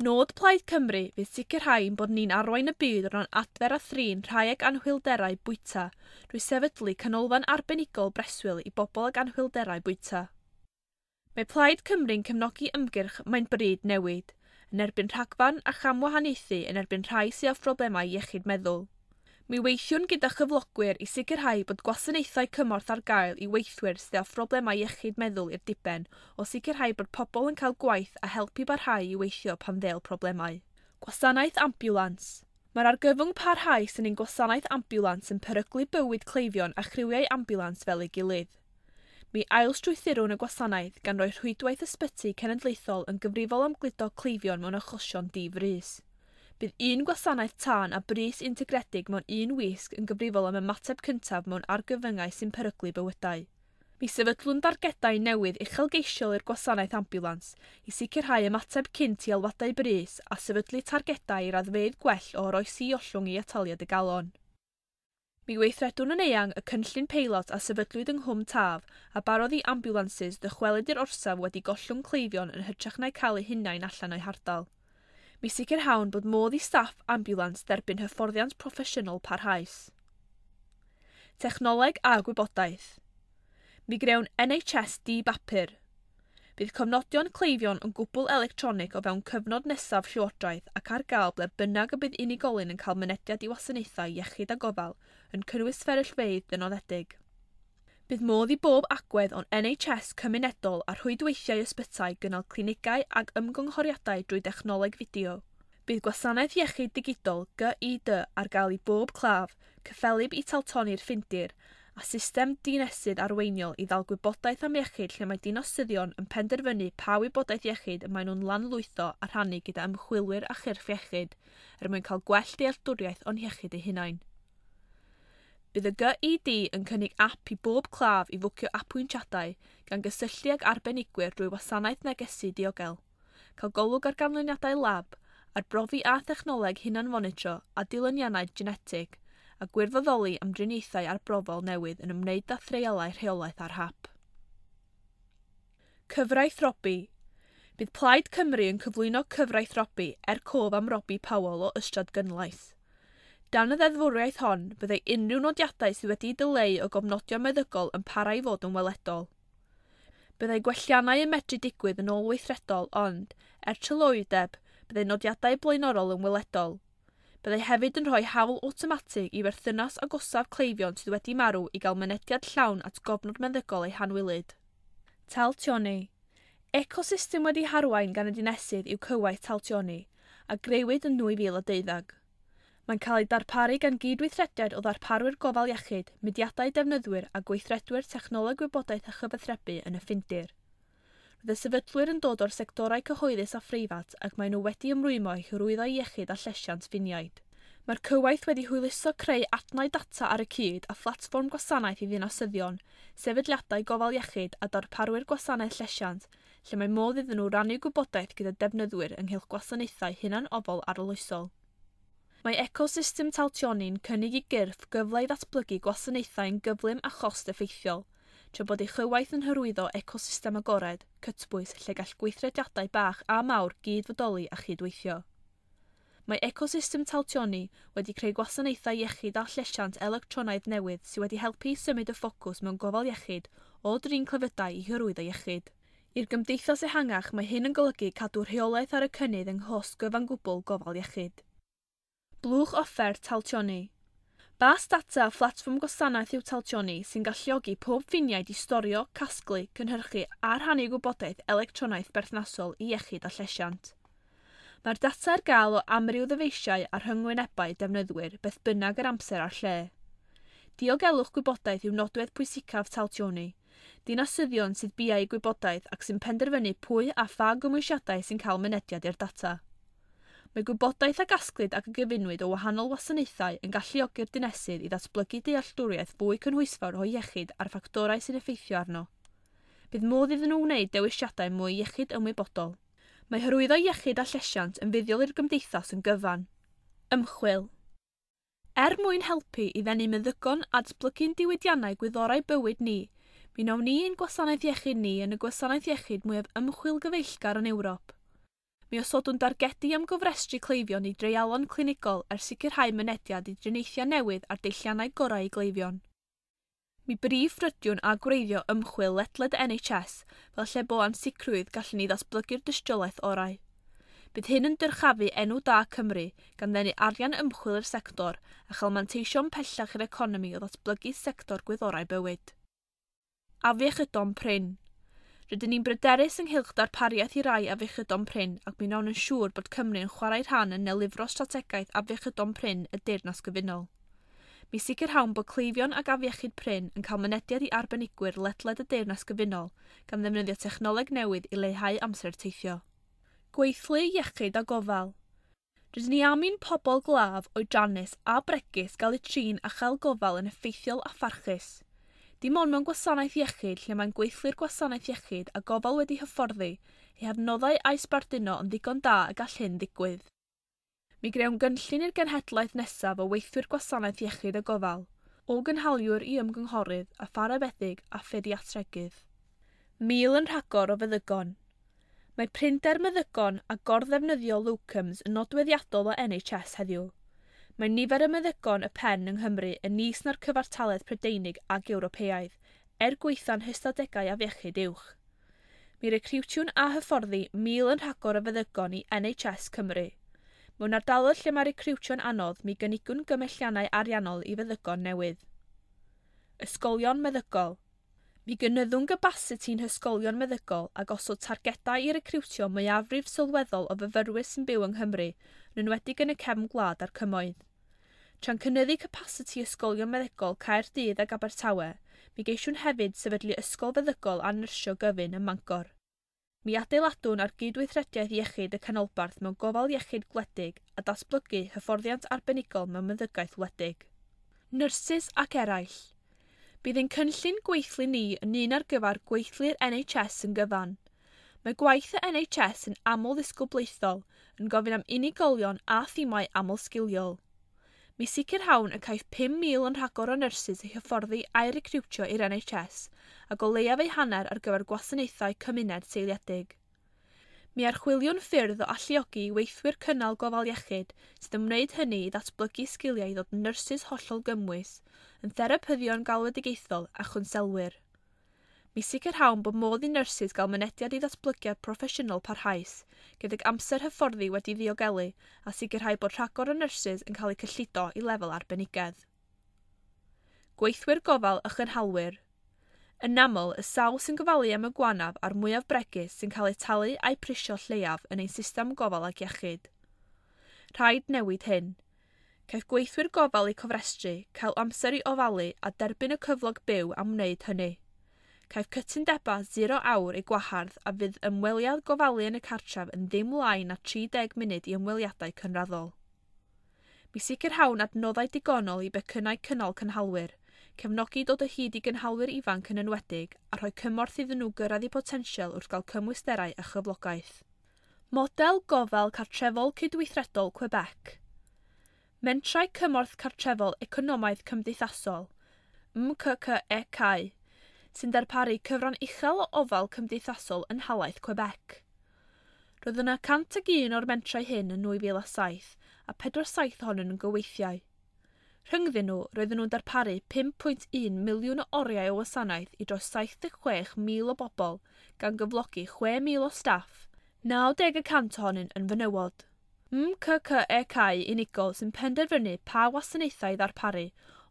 Nod Plaid Cymru fydd sicrhau ein bod ni'n arwain y byd o ran adfer a thrin rhai ag anhwylderau bwyta drwy sefydlu canolfan arbenigol breswyl i bobl ag anhwylderau bwyta. Mae Plaid Cymru'n cefnogi ymgyrch Mae'n Bryd Newid, yn erbyn rhagfarn a chamwahaniaethu yn erbyn rhai sydd â phroblemau iechyd meddwl. Mi weithiwn gyda chyflogwyr i sicrhau bod gwasanaethau cymorth ar gael i weithwyr sydd â phroblemau iechyd meddwl i'r diben o sicrhau bod pobl yn cael gwaith a helpu barhau i weithio pan ddêl problemau. Gwasanaeth ambiwlans. Mae'r argyfwng parhaus yn ein gwasanaeth ambiwlans yn peryglu bywyd cleifion a chriwiau ambiwlans fel ei gilydd. Mi ailstrwythurwn y gwasanaeth gan roi rhwydwaith ysbyty cenedlaethol yn gyfrifol am gludo cleifion mewn achosion di-frys. Bydd un gwasanaeth tân a brys integredig mewn un wisg yn gyfrifol am ymateb cyntaf mewn argyfyngau sy'n peryglu bywydau. Mi sefydlwn dargedau newydd uchelgeisiol i'r gwasanaeth ambiwlans i sicrhau ymateb cynt i alwadau brys a sefydlu targedau i raddfeydd gwell o oroesi ollwng i ataliad y galon. Mi weithredwn yn eang y cynllun peilot a sefydlwyd yng Nghwm Taf a barodd i ambiwlansys ddychwelyd i'r orsaf wedi gollwng cleifion yn hytrach na'u cael eu hunain allan o'u hardal. Mi sicrhawn bod modd i staff ambiwlans dderbyn hyfforddiant proffesiynol parhaus. Technoleg a gwybodaeth. Mi grewn NHS di-bapur. Bydd cofnodion cleifion yn gwbl electronig o fewn cyfnod nesaf Llywodraeth ac ar gael ble bynnag y bydd unigolyn yn cael mynediad i wasanaethau iechyd a gofal, yn cynnwys fferyllfeydd dynodedig. Bydd modd i bob agwedd o'n NHS cymunedol a rhwydweithiau ysbytai gynnal clinigau ac ymgynghoriadau drwy dechnoleg fideo. Bydd gwasanaeth iechyd digidol GID ar gael i bob claf, cyffelyb i Taltoni'r Ffindir, a system dinesydd arweiniol i ddal gwybodaeth am iechyd lle mae dinasyddion yn penderfynu pa wybodaeth iechyd y maen nhw'n lanlwytho a rhannu gyda ymchwilwyr a chyrff iechyd er mwyn cael gwell dealltwriaeth o'n hiechyd eu hunain. Bydd y GID yn cynnig ap i bob claf i fwcio apwyntiadau gan gysylltu ag arbenigwyr drwy wasanaeth negesu diogel, cael golwg ar ganlyniadau lab, arbrofi a thechnoleg hunanfonitro a dilyniannau genetig, a gwirfoddoli am driniaethau arbrofol newydd yn ymwneud â threialau rheolaeth ar hap. Cyfraith Robbie. Bydd Plaid Cymru yn cyflwyno cyfraith Robbie er cof am Robbie Powell o Ystradgynlais. Dan y ddeddfwriaeth hon, byddai unrhyw nodiadau sydd wedi'u dileu o gofnodion meddygol yn para i fod yn weledol. Byddai gwelliannau yn medru digwydd yn ôl-weithredol ond, er tryloywdeb, byddai nodiadau blaenorol yn weledol. Byddai hefyd yn rhoi hawl awtomatig i berthynas agosaf cleifion sydd wedi marw i gael mynediad llawn at gofnod meddygol eu hanwylyd. Taltioni. Ecosystem wedi harwain gan y dinesydd yw cywaith Taltioni, a grëwyd yn 2012. Mae'n cael ei darparu gan gydweithrediad o ddarparwyr gofal iechyd, mudiadau defnyddwyr a gweithredwyr technoleg gwybodaeth a chyfathrebu yn y Ffindir. Roedd y sefydlwyr yn dod o'r sectorau cyhoeddus a phreifat ac maen nhw wedi ymrwymo i hyrwyddo iechyd a llesiant ffiniaid. Mae'r cywaith wedi hwyluso creu adnau data ar y cyd a phlatfform gwasanaeth i ddinasyddion, sefydliadau gofal iechyd a darparwyr gwasanaeth llesiant, lle mae modd iddyn nhw rannu gwybodaeth gyda defnyddwyr ynghylch gwasanaethau hunanofal arloesol. Mae ecosystem Taltioni'n cynnig i gyrff gyfle i ddatblygu gwasanaethau'n gyflym a chost effeithiol, tra bod ei chywaith yn hyrwyddo ecosystem agored, cytbwys lle gall gweithrediadau bach a mawr gyd-fodoli a chydweithio. Mae ecosystem Taltioni wedi creu gwasanaethau iechyd a llesiant electronaidd newydd sydd wedi helpu i symud y ffocws mewn gofal iechyd o drin clefydau i hyrwyddo iechyd. I'r gymdeithas ehangach mae hyn yn golygu cadw rheolaeth ar y cynnydd yng nghost gyfan gwbl gofal iechyd. Blwch offer Taltioni. Bas data a phlatfform gwasanaeth yw Taltioni sy'n galluogi pob ffiniaid i storio, casglu, cynhyrchu a rhannu gwybodaeth electronaidd berthnasol i iechyd a llesiant. Mae'r data ar gael o amryw ddyfeisiau a rhyngwynebau defnyddwyr beth bynnag yr amser a'r lle. Diogelwch gwybodaeth yw nodwedd pwysicaf Taltioni, dinasyddion sydd biau gwybodaeth ac sy'n penderfynu pwy a pha gymwysiadau sy'n cael mynediad i'r data. Mae gwybodaeth a gasglid ac a gyfunwyd o wahanol wasanaethau yn galluogi'r dinesydd i ddatblygu dealltwriaeth fwy cynhwysfawr o iechyd a'r ffactorau sy'n effeithio arno. Bydd modd iddyn nhw wneud dewisiadau mwy iechyd ymwybodol. Mae hyrwyddo iechyd a llesiant yn fuddiol i'r gymdeithas yn gyfan. Ymchwil. Er mwyn helpu i ddenu meddygon a datblygu'n diwydiannau gwyddorau bywyd ni, mi wnawn ni ein gwasanaeth iechyd ni yn y gwasanaeth iechyd mwyaf ymchwil gyfeillgar yn Ewrop. Mi osodwn dargedu am gofrestru cleifion i dreialon clinigol er sicrhau mynediad i driniaethau newydd a'r deilliannau gorau i gleifion. Mi brif ffrydiwn a gwreiddio ymchwil ledled NHS fel lle bo ansicrwydd gallwn ni ddatblygu'r dystiolaeth orau. Bydd hyn yn dyrchafu enw da Cymru, gan ddenu arian ymchwil i'r sector a chael manteision pellach i'r economi o ddatblygu sector gwyddorau bywyd. Afiechydon prin. Rydyn ni'n bryderus ynghylch darpariaeth i rai afiechydon prin ac mi wnawn yn siŵr bod Cymru yn chwarae rhan yn nelifro strategaeth afiechydon prin y Deyrnas Gyfunol. Mi sicrhawn bod cleifion ag afiechyd prin yn cael mynediad i arbenigwyr ledled y Deyrnas Gyfunol gan ddefnyddio technoleg newydd i leihau amser teithio. Gweithlu iechyd a gofal. Rydyn ni am i'n pobl glaf, oedrannus a bregus gael eu trin a chael gofal yn effeithiol a pharchus. Dim ond mewn gwasanaeth iechyd lle mae'n gweithlu'r gwasanaeth iechyd a gofal wedi hyfforddi, eu hadnoddau a'u sbarduno yn ddigon da y gall hyn ddigwydd. Mi grewn gynllun i'r genhedlaeth nesaf o weithwyr gwasanaeth iechyd a gofal, o gynhaliwr i ymgynghorydd a pharafeddyg a phediatregydd. 1,000 yn rhagor o feddygon. Mae prinder meddygon a gorddefnyddio locums yn nodweddiadol o NHS heddiw. Mae nifer y meddygon y pen yng Nghymru yn is na'r cyfartaledd Prydeinig ac Ewropeaidd, er gwaetha'n hystadegau afiechyd uwch. Mi recriwtiwn a hyfforddi 1,000 yn rhagor o feddygon i NHS Cymru. Mewn ardaloedd lle mae recriwtio'n anodd, mi gynigwn gymelliannau ariannol i feddygon newydd. Ysgolion meddygol. Mi gynyddwn gapasiti'n hysgolion meddygol a gosod targedau i recriwtio mwyafrif sylweddol o fyfyrwyr sy'n byw yng Nghymru, yn enwedig yn y cefn gwlad a'r cymoedd. Tra'n cynyddu capasiti ysgolion meddygol Caerdydd ac Abertawe, mi geisiwn hefyd sefydlu ysgol feddygol a nyrsio gyfun ym Mangor. Mi adeiladwn ar gydweithrediaeth iechyd y canolbarth mewn gofal iechyd gwledig a datblygu hyfforddiant arbenigol mewn meddygaeth wledig. Nyrsys ac eraill. Bydd ein cynllun gweithlu ni yn un ar gyfer gweithlu'r NHS yn gyfan. Mae gwaith y NHS yn aml ddisgyblaethol, yn gofyn am unigolion a thimau aml-sgiliol. Mi sicrhawn y caiff 5,000 yn rhagor o nyrsys eu hyfforddi a'u recriwtio i'r NHS, ac o leiaf eu hanner ar gyfer gwasanaethau cymuned seiliedig. Mi archwiliwn ffyrdd o alluogi i weithwyr cynnal gofal iechyd sydd yn wneud hynny i ddatblygu sgiliau i ddod yn nyrsys hollol gymwys, yn therapyddion galwedigaethol a chwnselwyr. Mi sicrhawn bod modd i nyrsys gael mynediad i ddatblygiad proffesiynol parhaus, gydag amser hyfforddi wedi ddiogelu a sicrhau bod rhagor o nyrsys yn cael eu cyllido i lefel arbenigedd. Gweithwyr gofal a chynhalwyr. Yn aml, y sawl sy'n gofalu am y gwanaf a'r mwyaf bregus sy'n cael eu talu a'u prisio lleiaf yn ein system gofal ac iechyd. Rhaid newid hyn. Caiff gweithwyr gofal eu cofrestru, cael amser i ofalu a derbyn y cyflog byw am wneud hynny. Caiff cytundebau 0 awr eu gwahardd a fydd ymweliad gofalu yn y cartref yn ddim lai na 30 munud i ymweliadau cynraddol. Mi sicrhawn adnoddau digonol i becynnau cynnal cynhalwyr, cefnogi dod o hyd i gynhalwyr ifanc yn enwedig a rhoi cymorth iddyn nhw gyrraedd eu potensial wrth gael cymwysterau a chyflogaeth. Model gofal cartrefol cydweithredol Quebec. Mentrau cymorth cartrefol economaidd cymdeithasol, MCCEC, sy'n darparu cyfran uchel o ofal cymdeithasol yn nhalaith Quebec. Roedd yna 101 o'r mentrau hyn yn 2007 a 47 ohonyn nhw'n gyweithiau. Rhyngddyn nhw, roedden nhw'n darparu 5.1 miliwn o oriau o wasanaeth i dros 76,000 o bobl, gan gyflogi 6,000 o staff, 90% ohonyn yn fenywod. MCCEC unigol sy'n penderfynu pa wasanaethau i ddarparu,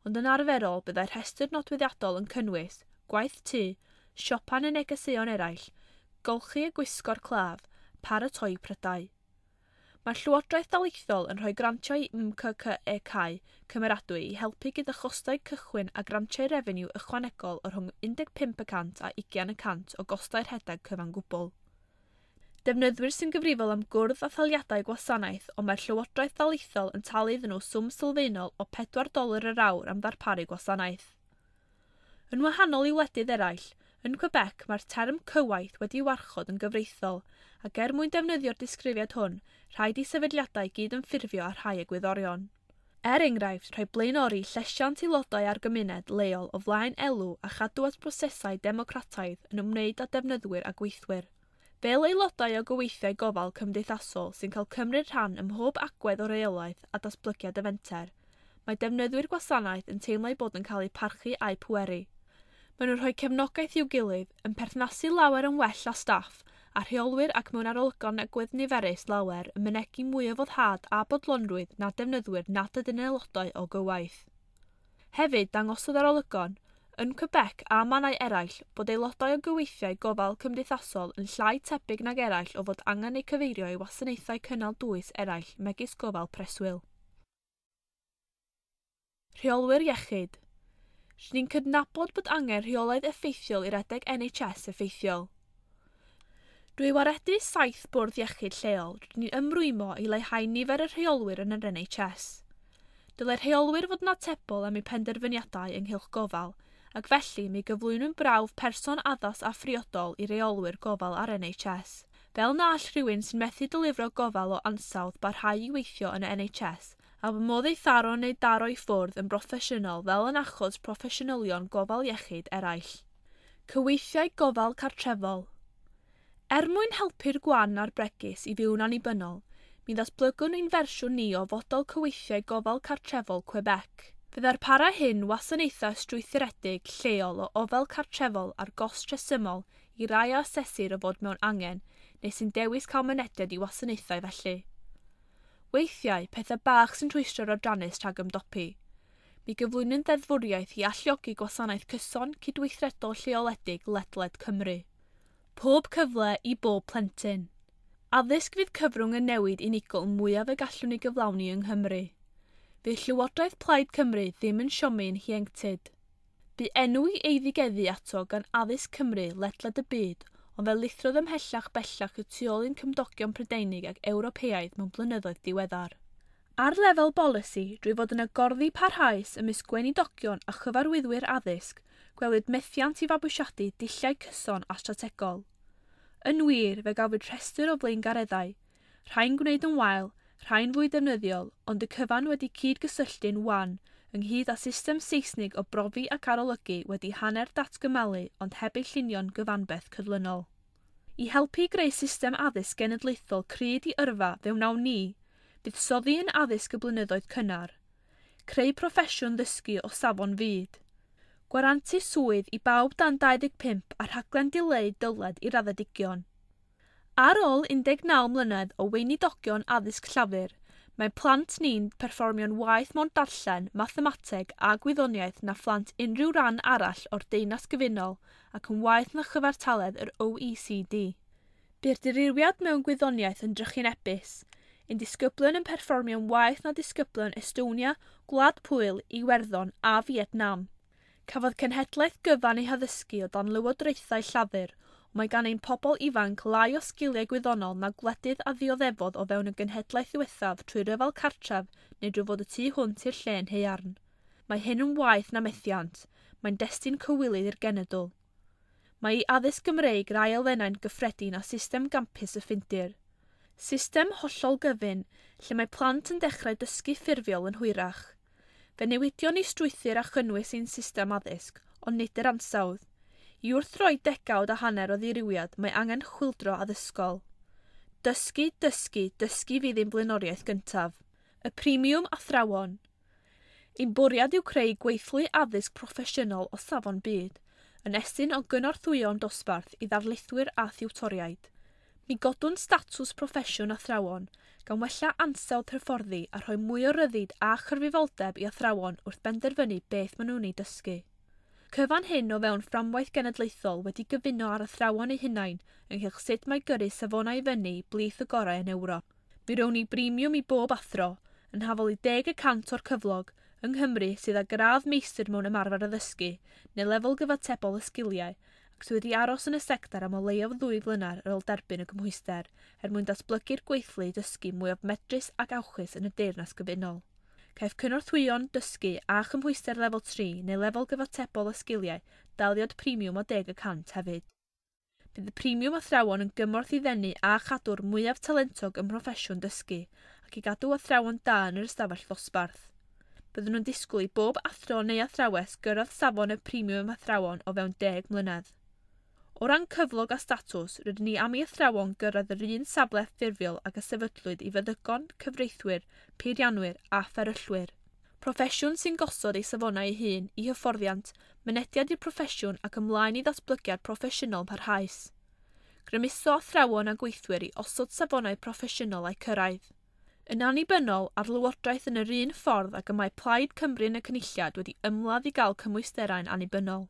ond yn arferol byddai'r rhestr nodweddiadol yn cynnwys gwaith tŷ, siopa neu negeseuon eraill, golchi a gwisgo'r claf, paratoi prydau. Mae'r Llywodraeth Daleithiol yn rhoi grantiau MCCEC cymeradwy i helpu gyda chostau cychwyn a grantiau refeniw ychwanegol o rhwng 15% a 20% o gostau rhedeg cyfan gwbl. Defnyddwyr sy'n gyfrifol am gwrdd a thaliadau gwasanaeth, ond mae'r Llywodraeth Daleithiol yn talu iddyn nhw swm sylfaenol o $4 yr awr am ddarparu gwasanaeth. Yn wahanol i wledydd eraill, yn Quebec mae'r term cywaith wedi warchod yn gyfreithiol, ac er mwyn defnyddio'r disgrifiad hwn, rhaid i sefydliadau gyd ymffurfio â rhai egwyddorion. Er enghraifft, rhoi blaenori llesiant aelodau a'r gymuned leol o flaen elw a chadw at brosesau democrataidd yn ymwneud â defnyddwyr a gweithwyr. Fel aelodau o gyweithiau gofal cymdeithasol sy'n cael cymryd rhan ym mhob agwedd o reolaeth a datblygiad y fenter, mae defnyddwyr gwasanaeth yn teimlo eu bod yn cael eu parchu a'u pweru. Maen nhw'n rhoi cefnogaeth i'w gilydd, yn perthnasu lawer yn well â staff, a rheolwyr ac mewn arolygon agwedd niferus lawer yn mynegi mwy o foddhad a bodlonrwydd na defnyddwyr nad ydyn aelodau o gywaith. Hefyd, dangosodd arolygon, yn Quebec a mannau eraill, bod aelodau o gyweithiau gofal cymdeithasol yn llai tebyg nag eraill o fod angen eu cyfeirio i wasanaethau cynnal dwys eraill megis gofal preswyl. Rheolwyr iechyd. Rydyn ni'n cydnabod bod angen rheolaidd effeithiol i redeg NHS effeithiol. Drwy waredu 7 bwrdd iechyd lleol, rydyn ni'n ymrwymo i leihau nifer y rheolwyr yn yr NHS. Dylai'r rheolwyr fod yn atebol am eu penderfyniadau ynghylch gofal, ac felly mi gyflwynwn brawf person addas a phriodol i reolwyr gofal ar NHS, fel na all rhywun sy'n methu dylifro gofal o ansawdd barhau i weithio yn y NHS, a bod modd ei tharo neu daro i ffwrdd yn broffesiynol fel yn achos proffesiynolion gofal iechyd eraill. Cyweithiau gofal cartrefol. Er mwyn helpu'r gwan a'r bregus i fyw'n annibynnol, mi ddatblygwn ein fersiwn ni o fodel cyweithiau gofal cartrefol Quebec. Fe ddarpara hyn wasanaethau strwythuredig lleol o ofal cartrefol ar gost rhesymol i rai a asesir o fod mewn angen neu sy'n dewis cael mynediad i wasanaethau felly. Weithiau, pethau bach sy'n rhwystro'r oedrannus rhag ymdopi. Mi gyflwynwn ddeddfwriaeth i alluogi gwasanaeth cyson cydweithredol lleoledig ledled Cymru. Pob cyfle i bob plentyn. Addysg fydd cyfrwng y newid unigol mwyaf y gallwn ei gyflawni yng Nghymru. Fydd Llywodraeth Plaid Cymru ddim yn siomi'n hieuenctid. Bu enw i eiddigeddu ato gan Addysg Cymru ledled y byd, ond fe lithrodd ymhellach bellach y tu ôl i'n cymdogion Prydeinig ac Ewropeaidd mewn blynyddoedd diweddar. Ar lefel bolisi, drwy fod yn agorddi parhaus ymysg gweinidogion a chyfarwyddwyr addysg, gwelwyd methiant i fabwysiadu dulliau cyson a strategol. Yn wir, fe gafwyd rhestr o flaengareddau, rhai'n gwneud yn wael, rhai'n fwy defnyddiol, ond y cyfan wedi cyd-gysylltu'n wan, ynghyd â system Seisnig o brofi ac arolygu wedi hanner datgymalu ond heb ei llunio'n gyfanbeth cydlynol. I helpu i greu system addysg genedlaethol cryd i yrfa fe wnawn ni, buddsoddi yn addysg y blynyddoedd cynnar, creu proffesiwn ddysgu o safon fyd, gwarantu swydd i bawb dan 25 a rhaglen dileu dyled i raddedigion. Ar ôl 19 mlynedd o weinidogion addysg Llafur, mae plant ni'n perfformio'n waeth mewn darllen, mathemateg a gwyddoniaeth na phlant unrhyw ran arall o'r Deyrnas Gyfunol ac yn waeth na chyfartaledd yr OECD. Bu'r dirywiad mewn gwyddoniaeth yn drychinebus, ein disgyblion yn perfformio'n waeth na disgyblion Estonia, Gwlad Pwyl, Iwerddon a Fietnam. Cafodd cenhedlaeth gyfan ei haddysgu o dan lywodraethau Llafur, ond mae gan ein pobl ifanc lai o sgiliau gwyddonol na gwledydd a ddioddefodd o fewn y genhedlaeth ddiwethaf trwy ryfel cartref neu drwy fod y tu hwnt i'r llên haearn. Mae hyn yn waeth na methiant, mae'n destun cywilydd i'r genedl. Mae i addysg Gymreig rai elfennau'n gyffredin â system gampus y Ffindir. System hollol gyfun, lle mae plant yn dechrau dysgu ffurfiol yn hwyrach. Fe newidion ni strwythur a chynnwys ein system addysg, ond nid yr ansawdd. I wrthdroi degawd a hanner o ddirywiad, mae angen chwyldro addysgol. Dysgu, dysgu, dysgu fydd ein blaenoriaeth gyntaf. Y premiwm athrawon. Ein bwriad yw creu gweithlu addysg proffesiynol o safon byd, yn estyn o gynorthwyon dosbarth i ddarlithwyr a thiwtoriaid. Mi godwn statws proffesiwn athrawon, gan wella ansawdd hyfforddi a rhoi mwy o ryddid a chyfrifoldeb i athrawon wrth benderfynu beth maen nhw'n ei dysgu. Cyfan hyn o fewn fframwaith genedlaethol wedi gyfuno ar athrawon eu hunain ynghylch sut mae gyrru safonau i fyny blith y gorau yn Ewrop. Mi rown ni bremiwm i bob athro, yn hafal i 10% o'r cyflog, yng Nghymru sydd â gradd meistr mewn ymarfer addysgu neu lefel gyfatebol y sgiliau, ac sydd wedi aros yn y sector am o leiaf 2 flynedd ar ôl derbyn y cymhwyster, er mwyn datblygu'r gweithlu dysgu mwyaf medrus ac awchus yn y Deyrnas Gyfunol. Caiff cynorthwyon dysgu a chymhwyster lefel 3 neu lefel gyfatebol y sgiliau daliad premiwm o 10% hefyd. Bydd y premiwm athrawon yn gymorth i ddenu a chadw'r mwyaf talentog ym mhroffesiwn dysgu ac i gadw athrawon da yn yr ystafell ddosbarth. Byddwn nhw'n disgwyl i bob athro neu athrawes gyrraedd safon y premiwm athrawon o fewn 10 mlynedd. O ran cyflog a statws, rydyn ni am i athrawon gyrraedd yr un safle ffurfiol ag y sefydlwyd i feddygon, cyfreithwyr, peirianwyr a fferyllwyr. Proffesiwn sy'n gosod ei safonau ei hun i hyfforddiant, mynediad i'r proffesiwn ac ymlaen i ddatblygiad proffesiynol parhaus. Grymuso athrawon a gweithwyr i osod safonau proffesiynol a'u cyrraedd. Yn annibynnol ar lywodraeth yn yr un ffordd ag y mae Plaid Cymru yn y Cynulliad wedi ymladd i gael cymwysterau'n annibynnol.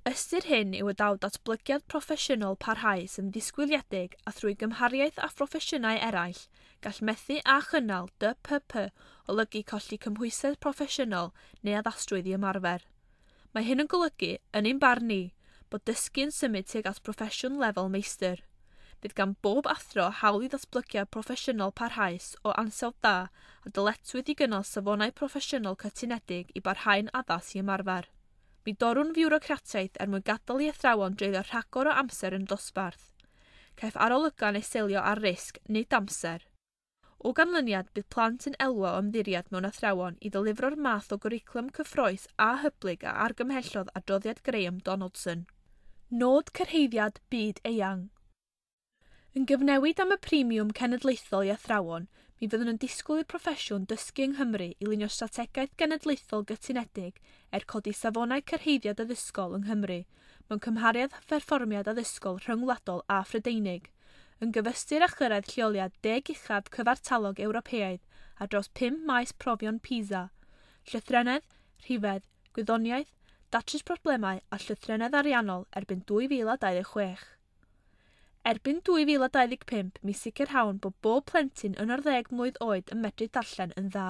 Ystyr hyn yw y daw datblygiad proffesiynol parhaus yn ddisgwyliedig a thrwy gymhariaeth â phroffesiynau eraill, gall methu a chynnal DPP olygu colli cymhwysedd proffesiynol neu addasrwydd i ymarfer. Mae hyn yn golygu, yn ein barn ni, bod dysgu yn symud tuag at broffesiwn lefel meistr. Bydd gan bob athro hawl i ddatblygiad proffesiynol parhaus o ansawdd da a dyletswydd i gynnal safonau proffesiynol cytunedig i barhau'n addas i ymarfer. Mi dorrwn fiwrocratiaeth er mwyn gadael i athrawon dreulio rhagor o amser yn y dosbarth. Caiff arolygon eu selio ar risg, nid amser. O ganlyniad, bydd plant yn elwa o ymddiried mewn athrawon i ddelifro'r math o gwricwlwm cyffrous a hyblyg a argymhellodd adroddiad Graham Donaldson. Nod cyrhaeddiad byd eang. Yn gyfnewid am y premiwm cenedlaethol i athrawon, mi fyddwn yn disgwyl i'r proffesiwn dysgu yng Nghymru i lunio strategaeth genedlaethol gytunedig er codi safonau cyrhaeddiad addysgol yng Nghymru mewn cymhariaeth â pherfformiad addysgol rhyngwladol a Phrydeinig, yn gyfystyr â chyrraedd lleoliad deg uchaf cyfartalog Ewropeaidd ar draws pum maes profion PISA, llythrennedd, rhifedd, gwyddoniaeth, datrys problemau a llythrennedd ariannol erbyn 2026. Erbyn 2025, mi sicrhawn bod bob plentyn yn 11 mlwydd oed yn medru darllen yn dda.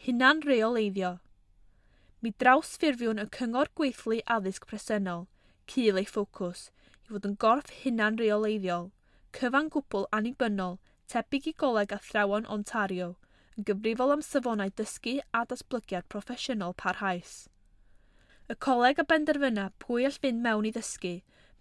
Hunan reoleiddio. Mi drawsffurfiwn y Cyngor Gweithlu Addysg presennol, cul ei ffocws, i fod yn gorff hunan reoleiddiol, cyfan gwbl annibynnol, tebyg i Goleg Athrawon Ontario, yn gyfrifol am safonau dysgu a datblygiad proffesiynol parhaus. Y coleg a benderfyna pwy all fynd mewn i ddysgu,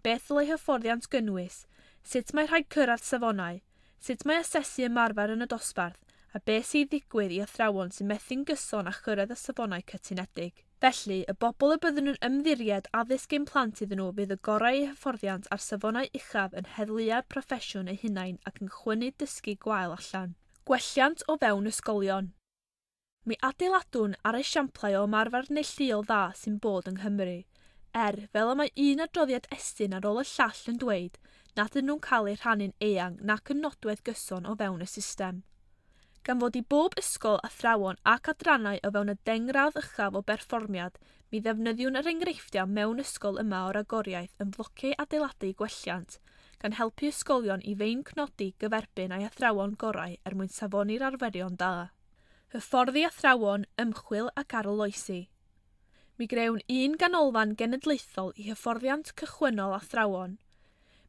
beth ddylai hyfforddiant gynnwys, sut mae rhaid cyrraedd safonau, sut mae asesu ymarfer yn y dosbarth, a beth sy'n ddigwydd i athrawon sy'n methu'n gyson â chyrraedd y safonau cytunedig. Felly, y bobl y byddwn yn ymddiried addysg ein plant iddyn nhw fydd y gorau eu hyfforddiant a'r safonau uchaf yn heddluau'r proffesiwn eu hunain ac yn chwynnu dysgu gwael allan. Gwelliant o fewn ysgolion. Mi adeiladwn ar esiamplau o ymarfer neilltuol dda sy'n bod yng Nghymru, er, fel y mae un adroddiad Estyn ar ôl y llall yn dweud, nad ydyn nhw'n cael eu rhannu'n eang nac yn nodwedd gyson o fewn y system. Gan fod i bob ysgol, athrawon ac adrannau o fewn y dengradd uchaf o berfformiad, mi ddefnyddiwn yr enghreifftiau mewn ysgol yma o ragoriaeth yn flociau adeiladu gwelliant, gan helpu ysgolion i feincnodi gyferbyn â'i athrawon gorau er mwyn safoni'r arferion da. Hyfforddi athrawon, ymchwil ac arloesi. Mi grewn un ganolfan genedlaethol i hyfforddiant cychwynnol athrawon.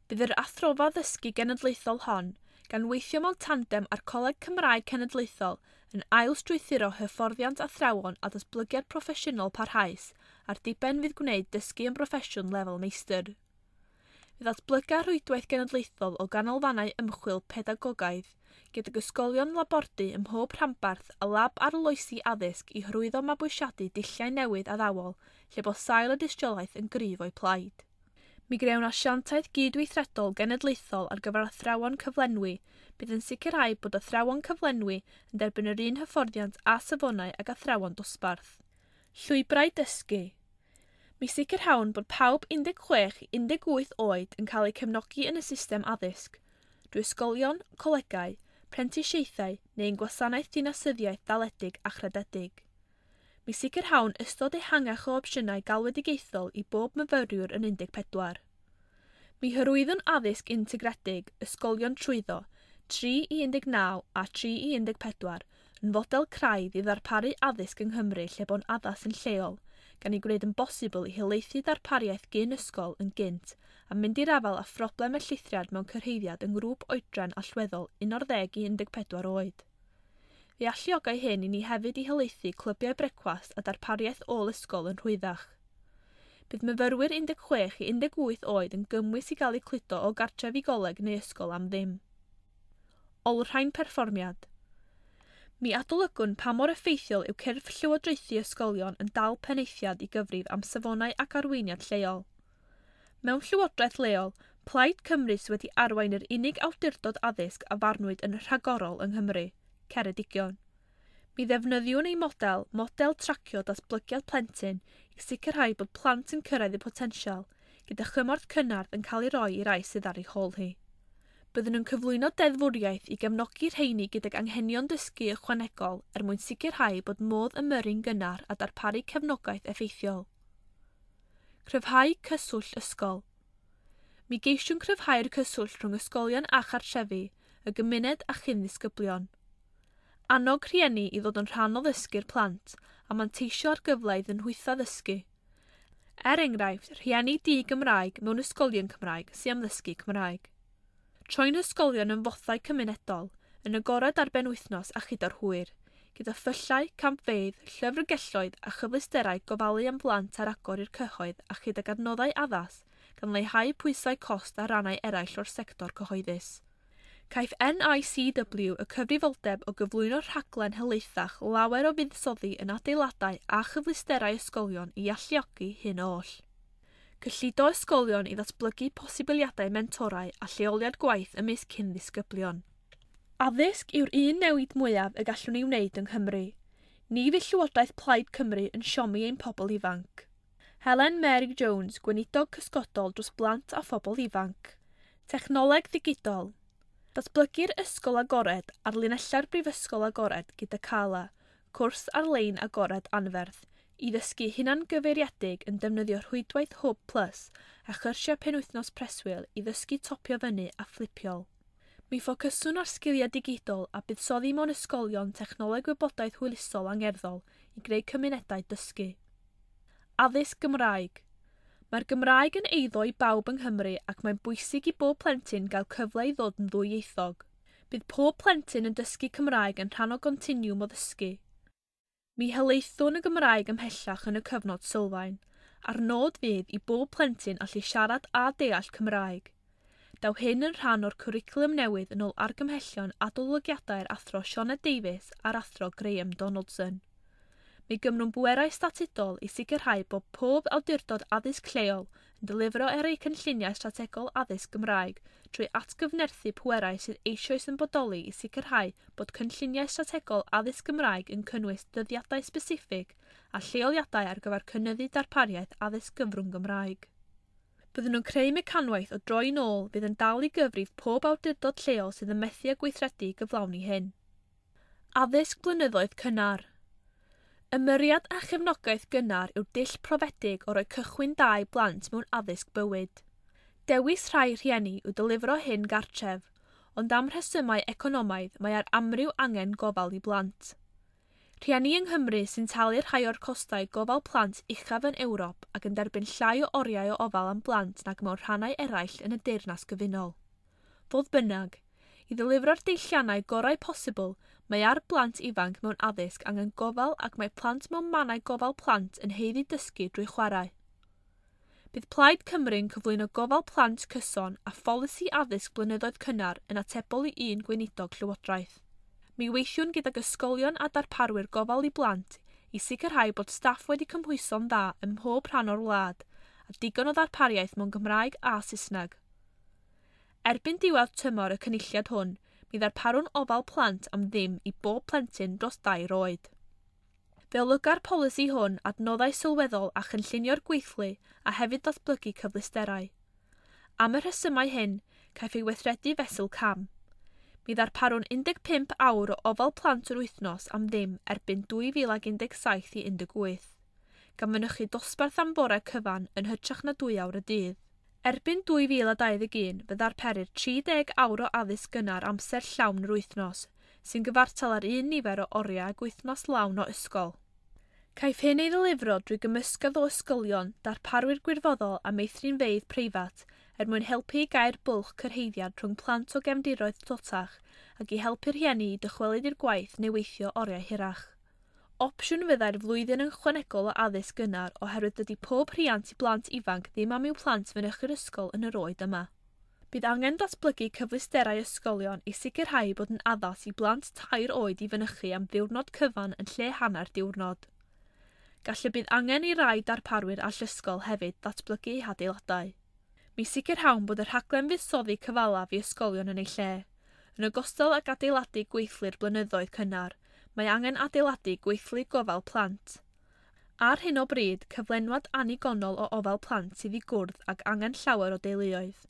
Bydd yr athrofa ddysgu genedlaethol hon, gan weithio mewn tandem â'r Coleg Cymraeg Cenedlaethol, yn ail-strwythuro hyfforddiant athrawon a datblygiad proffesiynol parhaus a'r diben fydd gwneud dysgu yn broffesiwn lefel meistr. Fe ddatblyga rhwydwaith genedlaethol o ganolfannau ymchwil pedagogaidd, gydag ysgolion labordy ym mhob rhanbarth a lab arloesi addysg i hyrwyddo mabwysiadu dulliau newydd addawol lle bo sail y dystiolaeth yn gryf o'i plaid. Mi grewn asiantaeth gydweithredol genedlaethol ar gyfer athrawon cyflenwi, bydd yn sicrhau bod athrawon cyflenwi yn derbyn yr un hyfforddiant a safonau ag athrawon dosbarth. Llwybrau dysgu. Mi sicrhawn bod pawb 16 i 18 oed yn cael eu cefnogi yn y system addysg, drwy ysgolion, colegau, prentisiaethau neu'n gwasanaeth dinasyddiaeth daledig a chrededig. Mi sicrhawn ystod ehangach o opsiynau galwedigaethol i bob myfyriwr yn 14. Mi hyrwyddwn addysg integredig, ysgolion trwyddo, 3 i 19 a 3 i 14, yn fodel craidd i ddarparu addysg yng Nghymru lle bo'n addas yn lleol, gan ei gwneud yn bosibl i helaethu darpariaeth gyn ysgol yn gynt a mynd i'r afael â phroblem y llithriad mewn cyrhaeddiad yng ngrŵp oedran allweddol 11 i 14 oed. Fe alluogai hyn i ni hefyd i helaethu clybiau brecwast a darpariaeth ôl ysgol yn rhwyddach. Bydd myfyrwyr 16 i 18 oed yn gymwys i gael eu cludo o gartref i goleg neu ysgol am ddim. Olrhain perfformiad. Mi adolygwn pa mor effeithiol yw cyrff llywodraethu ysgolion yn dal penaethiad i gyfrif am safonau ac arweiniad lleol. Mewn llywodraeth leol, Plaid Cymru sydd wedi arwain yr unig awdurdod addysg a farnwyd yn rhagorol yng Nghymru, Ceredigion. Mi ddefnyddiwn ei model, model tracio datblygiad plentyn, i sicrhau bod plant yn cyrraedd eu potensial, gyda chymorth cynnar yn cael ei roi i rai sydd ar ei hôl hi. Byddwn yn cyflwyno deddfwriaeth i gefnogi rheini gydag anghenion dysgu ychwanegol er mwyn sicrhau bod modd ymyrru'n gynnar a darparu cefnogaeth effeithiol. Cryfhau cyswllt ysgol. Mi geisiwn cryfhau'r cyswllt rhwng ysgolion a chartrefi, y gymuned a chyn ddisgyblion. Annog rhieni i ddod yn rhan o ddysgu'r plant a manteisio ar gyfle iddyn nhwytha ddysgu. Er enghraifft, rhieni di-Gymraeg mewn ysgolion Cymraeg sy'n am ddysgu Cymraeg. Troi'n hysgolion yn fothau cymunedol, yn agored ar benwythnos a chyda'r hwyr, gyda phyllau, campfeydd, llyfrgelloedd a chyfleusterau gofalu am blant ar agor i'r cyhoedd a chydag adnoddau addas, gan leihau pwysau cost ar rannau eraill o'r sector cyhoeddus. Caiff NICW y cyfrifoldeb o gyflwyno rhaglen helaethach lawer o fuddsoddi yn adeiladau a chyfleusterau ysgolion i alluogi hyn oll. Cyllido ysgolion i ddatblygu posibiliadau mentorau a lleoliad gwaith ymysg cyn ddisgyblion. Addysg yw'r un newid mwyaf y gallwn ei wneud yng Nghymru. Ni fydd Llywodraeth Plaid Cymru yn siomi ein pobl ifanc. Helen Mary Jones, gweinidog cysgodol dros blant a phobl ifanc. Technoleg ddigidol. Datblygu'r ysgol agored ar linellau'r Brifysgol Agored gyda CALA, cwrs ar-lein agored anferth, i ddysgu hunangyfeiriedig yn defnyddio rhwydwaith Hwb Plus a chyrsiau penwythnos preswyl i ddysgu topio fyny a fflipiol. Mi ffocyswn ar sgiliau digidol a buddsoddi mewn ysgolion technoleg wybodaeth hwylusol angerddol i greu cymunedau dysgu. Addysg Gymraeg. Mae'r Gymraeg yn eiddo i bawb yng Nghymru ac mae'n bwysig i bob plentyn gael cyfle i ddod yn ddwyieithog. Bydd pob plentyn yn dysgu Cymraeg yn rhan o gontiniwm o ddysgu. Mi helaethwn y Gymraeg ymhellach yn y cyfnod sylfaen, a'r nod fydd i bob plentyn allu siarad a deall Cymraeg. Daw hyn yn rhan o'r cwricwlwm newydd yn ôl argymhellion adolygiadau'r athro Sioned Davies a'r athro Graham Donaldson. Mi gymrwn bwerau statudol i sicrhau bod pob awdurdod addysg lleol yn delifro ar eu cynlluniau strategol addysg Gymraeg trwy atgyfnerthu pwerau sydd eisoes yn bodoli i sicrhau bod cynlluniau strategol addysg Gymraeg yn cynnwys dyddiadau speciffig a lleoliadau ar gyfer cynyddu darpariaeth addysg gyfrwng Gymraeg. Byddwn nhw'n creu mecanwaith o droi nôl fydd yn dal i gyfrif pob awdurdod lleol sydd yn methu â gweithredu i gyflawni hyn. Addysg blynyddoedd cynnar. Ymyriad a chefnogaeth gynnar yw dull profedig o roi cychwyn da i blant mewn addysg bywyd. Dewis rhai rhieni yw dylifro hyn gartref, ond am rhesymau economaidd mae ar amryw angen gofal i blant. Rhieni yng Nghymru sy'n talu rhai o'r costau gofal plant uchaf yn Ewrop ac yn derbyn llai o oriau o ofal am blant nag mewn rhannau eraill yn y Deyrnas Gyfunol. Fodd bynnag, i ddilifro'r deilliannau gorau posibl, mae ar blant ifanc mewn addysg angen gofal ac mae plant mewn mannau gofal plant yn haeddu dysgu drwy chwarae. Bydd Plaid Cymru'n cyflwyno gofal plant cyson a pholisi addysg blynyddoedd cynnar yn atebol i un gweinidog llywodraeth. Mi weithiwn gydag ysgolion a darparwyr gofal i blant i sicrhau bod staff wedi cymhwyso'n dda ym mhob rhan o'r wlad a digon o ddarpariaeth mewn Gymraeg a Saesneg. Erbyn diwedd tymor y cynulliad hwn, mi ddarparwn ofal plant am ddim i bob plentyn dros 2 oed. Fe olyga'r polisi hwn adnoddau sylweddol a chynllunio'r gweithlu a hefyd ddatblygu cyfleusterau. Am y rhesymau hyn, caiff ei weithredu fesul cam. Mi ddarparwn 15 awr o ofal plant yr wythnos am ddim erbyn 2017 i 18, gan fynychu dosbarth am bore cyfan yn hytrach na 2 awr y dydd. Erbyn 2021, fe ddarperir 30 awr o addysg gynnar amser llawn yr wythnos, sy'n gyfartal ar un nifer o oriau ag wythnos lawn o ysgol. Caiff hyn ei ddilifro drwy gymysgedd o ysgolion, darparwyr gwirfoddol a meithrinfeydd preifat er mwyn helpu i gau'r bwlch cyrhaeddiad rhwng plant o gefndiroedd tlotach ac i helpu'r rhieni i dychwelyd i'r gwaith neu weithio oriau hirach. Opsiwn fyddai'r flwyddyn yn ychwanegol o addysg gynnar oherwydd dydy pob rhiant i blant ifanc ddim am i'w plant fynychu'r ysgol yn yr oed yma. Bydd angen datblygu cyfleusterau ysgolion i sicrhau bod yn addas i blant 3 oed i fynychu am ddiwrnod cyfan yn lle hanner diwrnod. Gall y bydd angen i rai darparwyr allysgol hefyd ddatblygu eu hadeiladau. Mi sicrhawn bod y rhaglen fuddsoddi cyfalaf i ysgolion yn ei lle, yn ogystal ag adeiladu gweithlu'r blynyddoedd cynnar, mae angen adeiladu gweithlu gofal plant. Ar hyn o bryd, cyflenwad annigonol o ofal plant sydd i gwrdd ag angen llawer o deuluoedd.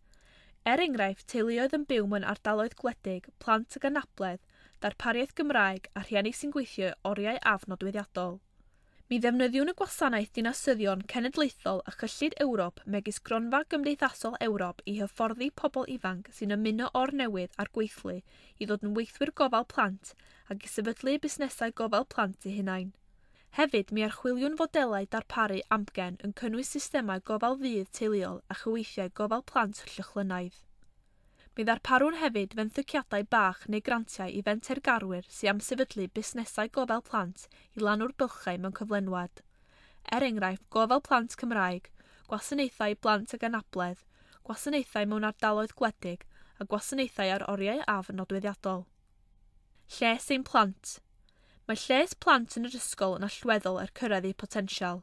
Er enghraifft, teuluoedd yn byw mewn ardaloedd gwledig, plant ag anabledd, darpariaeth Gymraeg a rhieni sy'n gweithio oriau afnodweddiadol. Mi ddefnyddiwn y gwasanaeth dinasyddion cenedlaethol a chyllid Ewrop megis Gronfa Gymdeithasol Ewrop i hyfforddi pobl ifanc sy'n ymuno o'r newydd a'r gweithlu i ddod yn weithwyr gofal plant ac i sefydlu busnesau gofal plant eu hunain. Hefyd, mi archwiliwn fodelau darparu amgen yn cynnwys systemau gofal ddydd teuluol a chyweithiau gofal plant llychlynaidd. Mi ddarparwn hefyd fenthyciadau bach neu grantiau i fentergarwyr sy'n am sefydlu busnesau gofal plant i lanw'r bylchau mewn cyflenwad. Er enghraifft, gofal plant Cymraeg, gwasanaethau blant ag anabledd, gwasanaethau mewn ardaloedd gwledig a gwasanaethau ar oriau af nodweddiadol. Lles ein plant. Mae lles plant yn yr ysgol yn allweddol er cyrraedd eu potensial.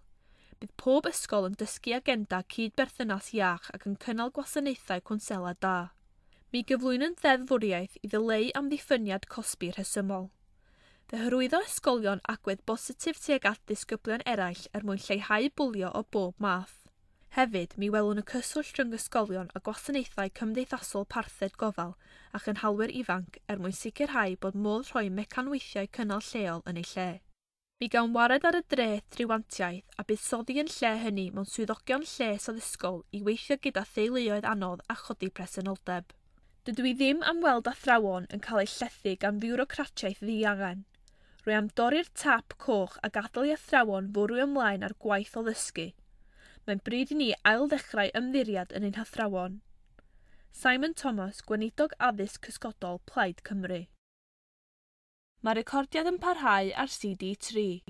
Bydd pob ysgol yn dysgu agenda cydberthynas iach ac yn cynnal gwasanaethau cwnsela da. Mi gyflwynwn ddeddfwriaeth i ddileu amddiffyniad cosbi rhesymol. Fe hyrwyddo ysgolion agwedd bositif tuag at ddisgyblion eraill er mwyn lleihau bwlio o bob math. Hefyd, mi welwn y cyswllt rhwng ysgolion a gwasanaethau cymdeithasol parthed gofal a chynhalwyr ifanc er mwyn sicrhau bod modd rhoi mecanweithiau cynnal lleol yn ei lle. Mi gawn wared ar y dreth triwantiaeth a buddsoddi yn lle hynny mewn swyddogion lles addysgol i weithio gyda theuluoedd anodd a chodi presenoldeb. Dydw i ddim am weld athrawon yn cael eu llethu gan fiwrocratiaeth ddiangen. Rwy am dorri'r tap coch a gadael i athrawon fwrw ymlaen ar gwaith o ddysgu. Mae'n bryd i ni ailddechrau ymddiried yn ein hathrawon. Simon Thomas, Gweinidog Addysg Cysgodol, Plaid Cymru. Mae'r recordiad yn parhau ar CD3.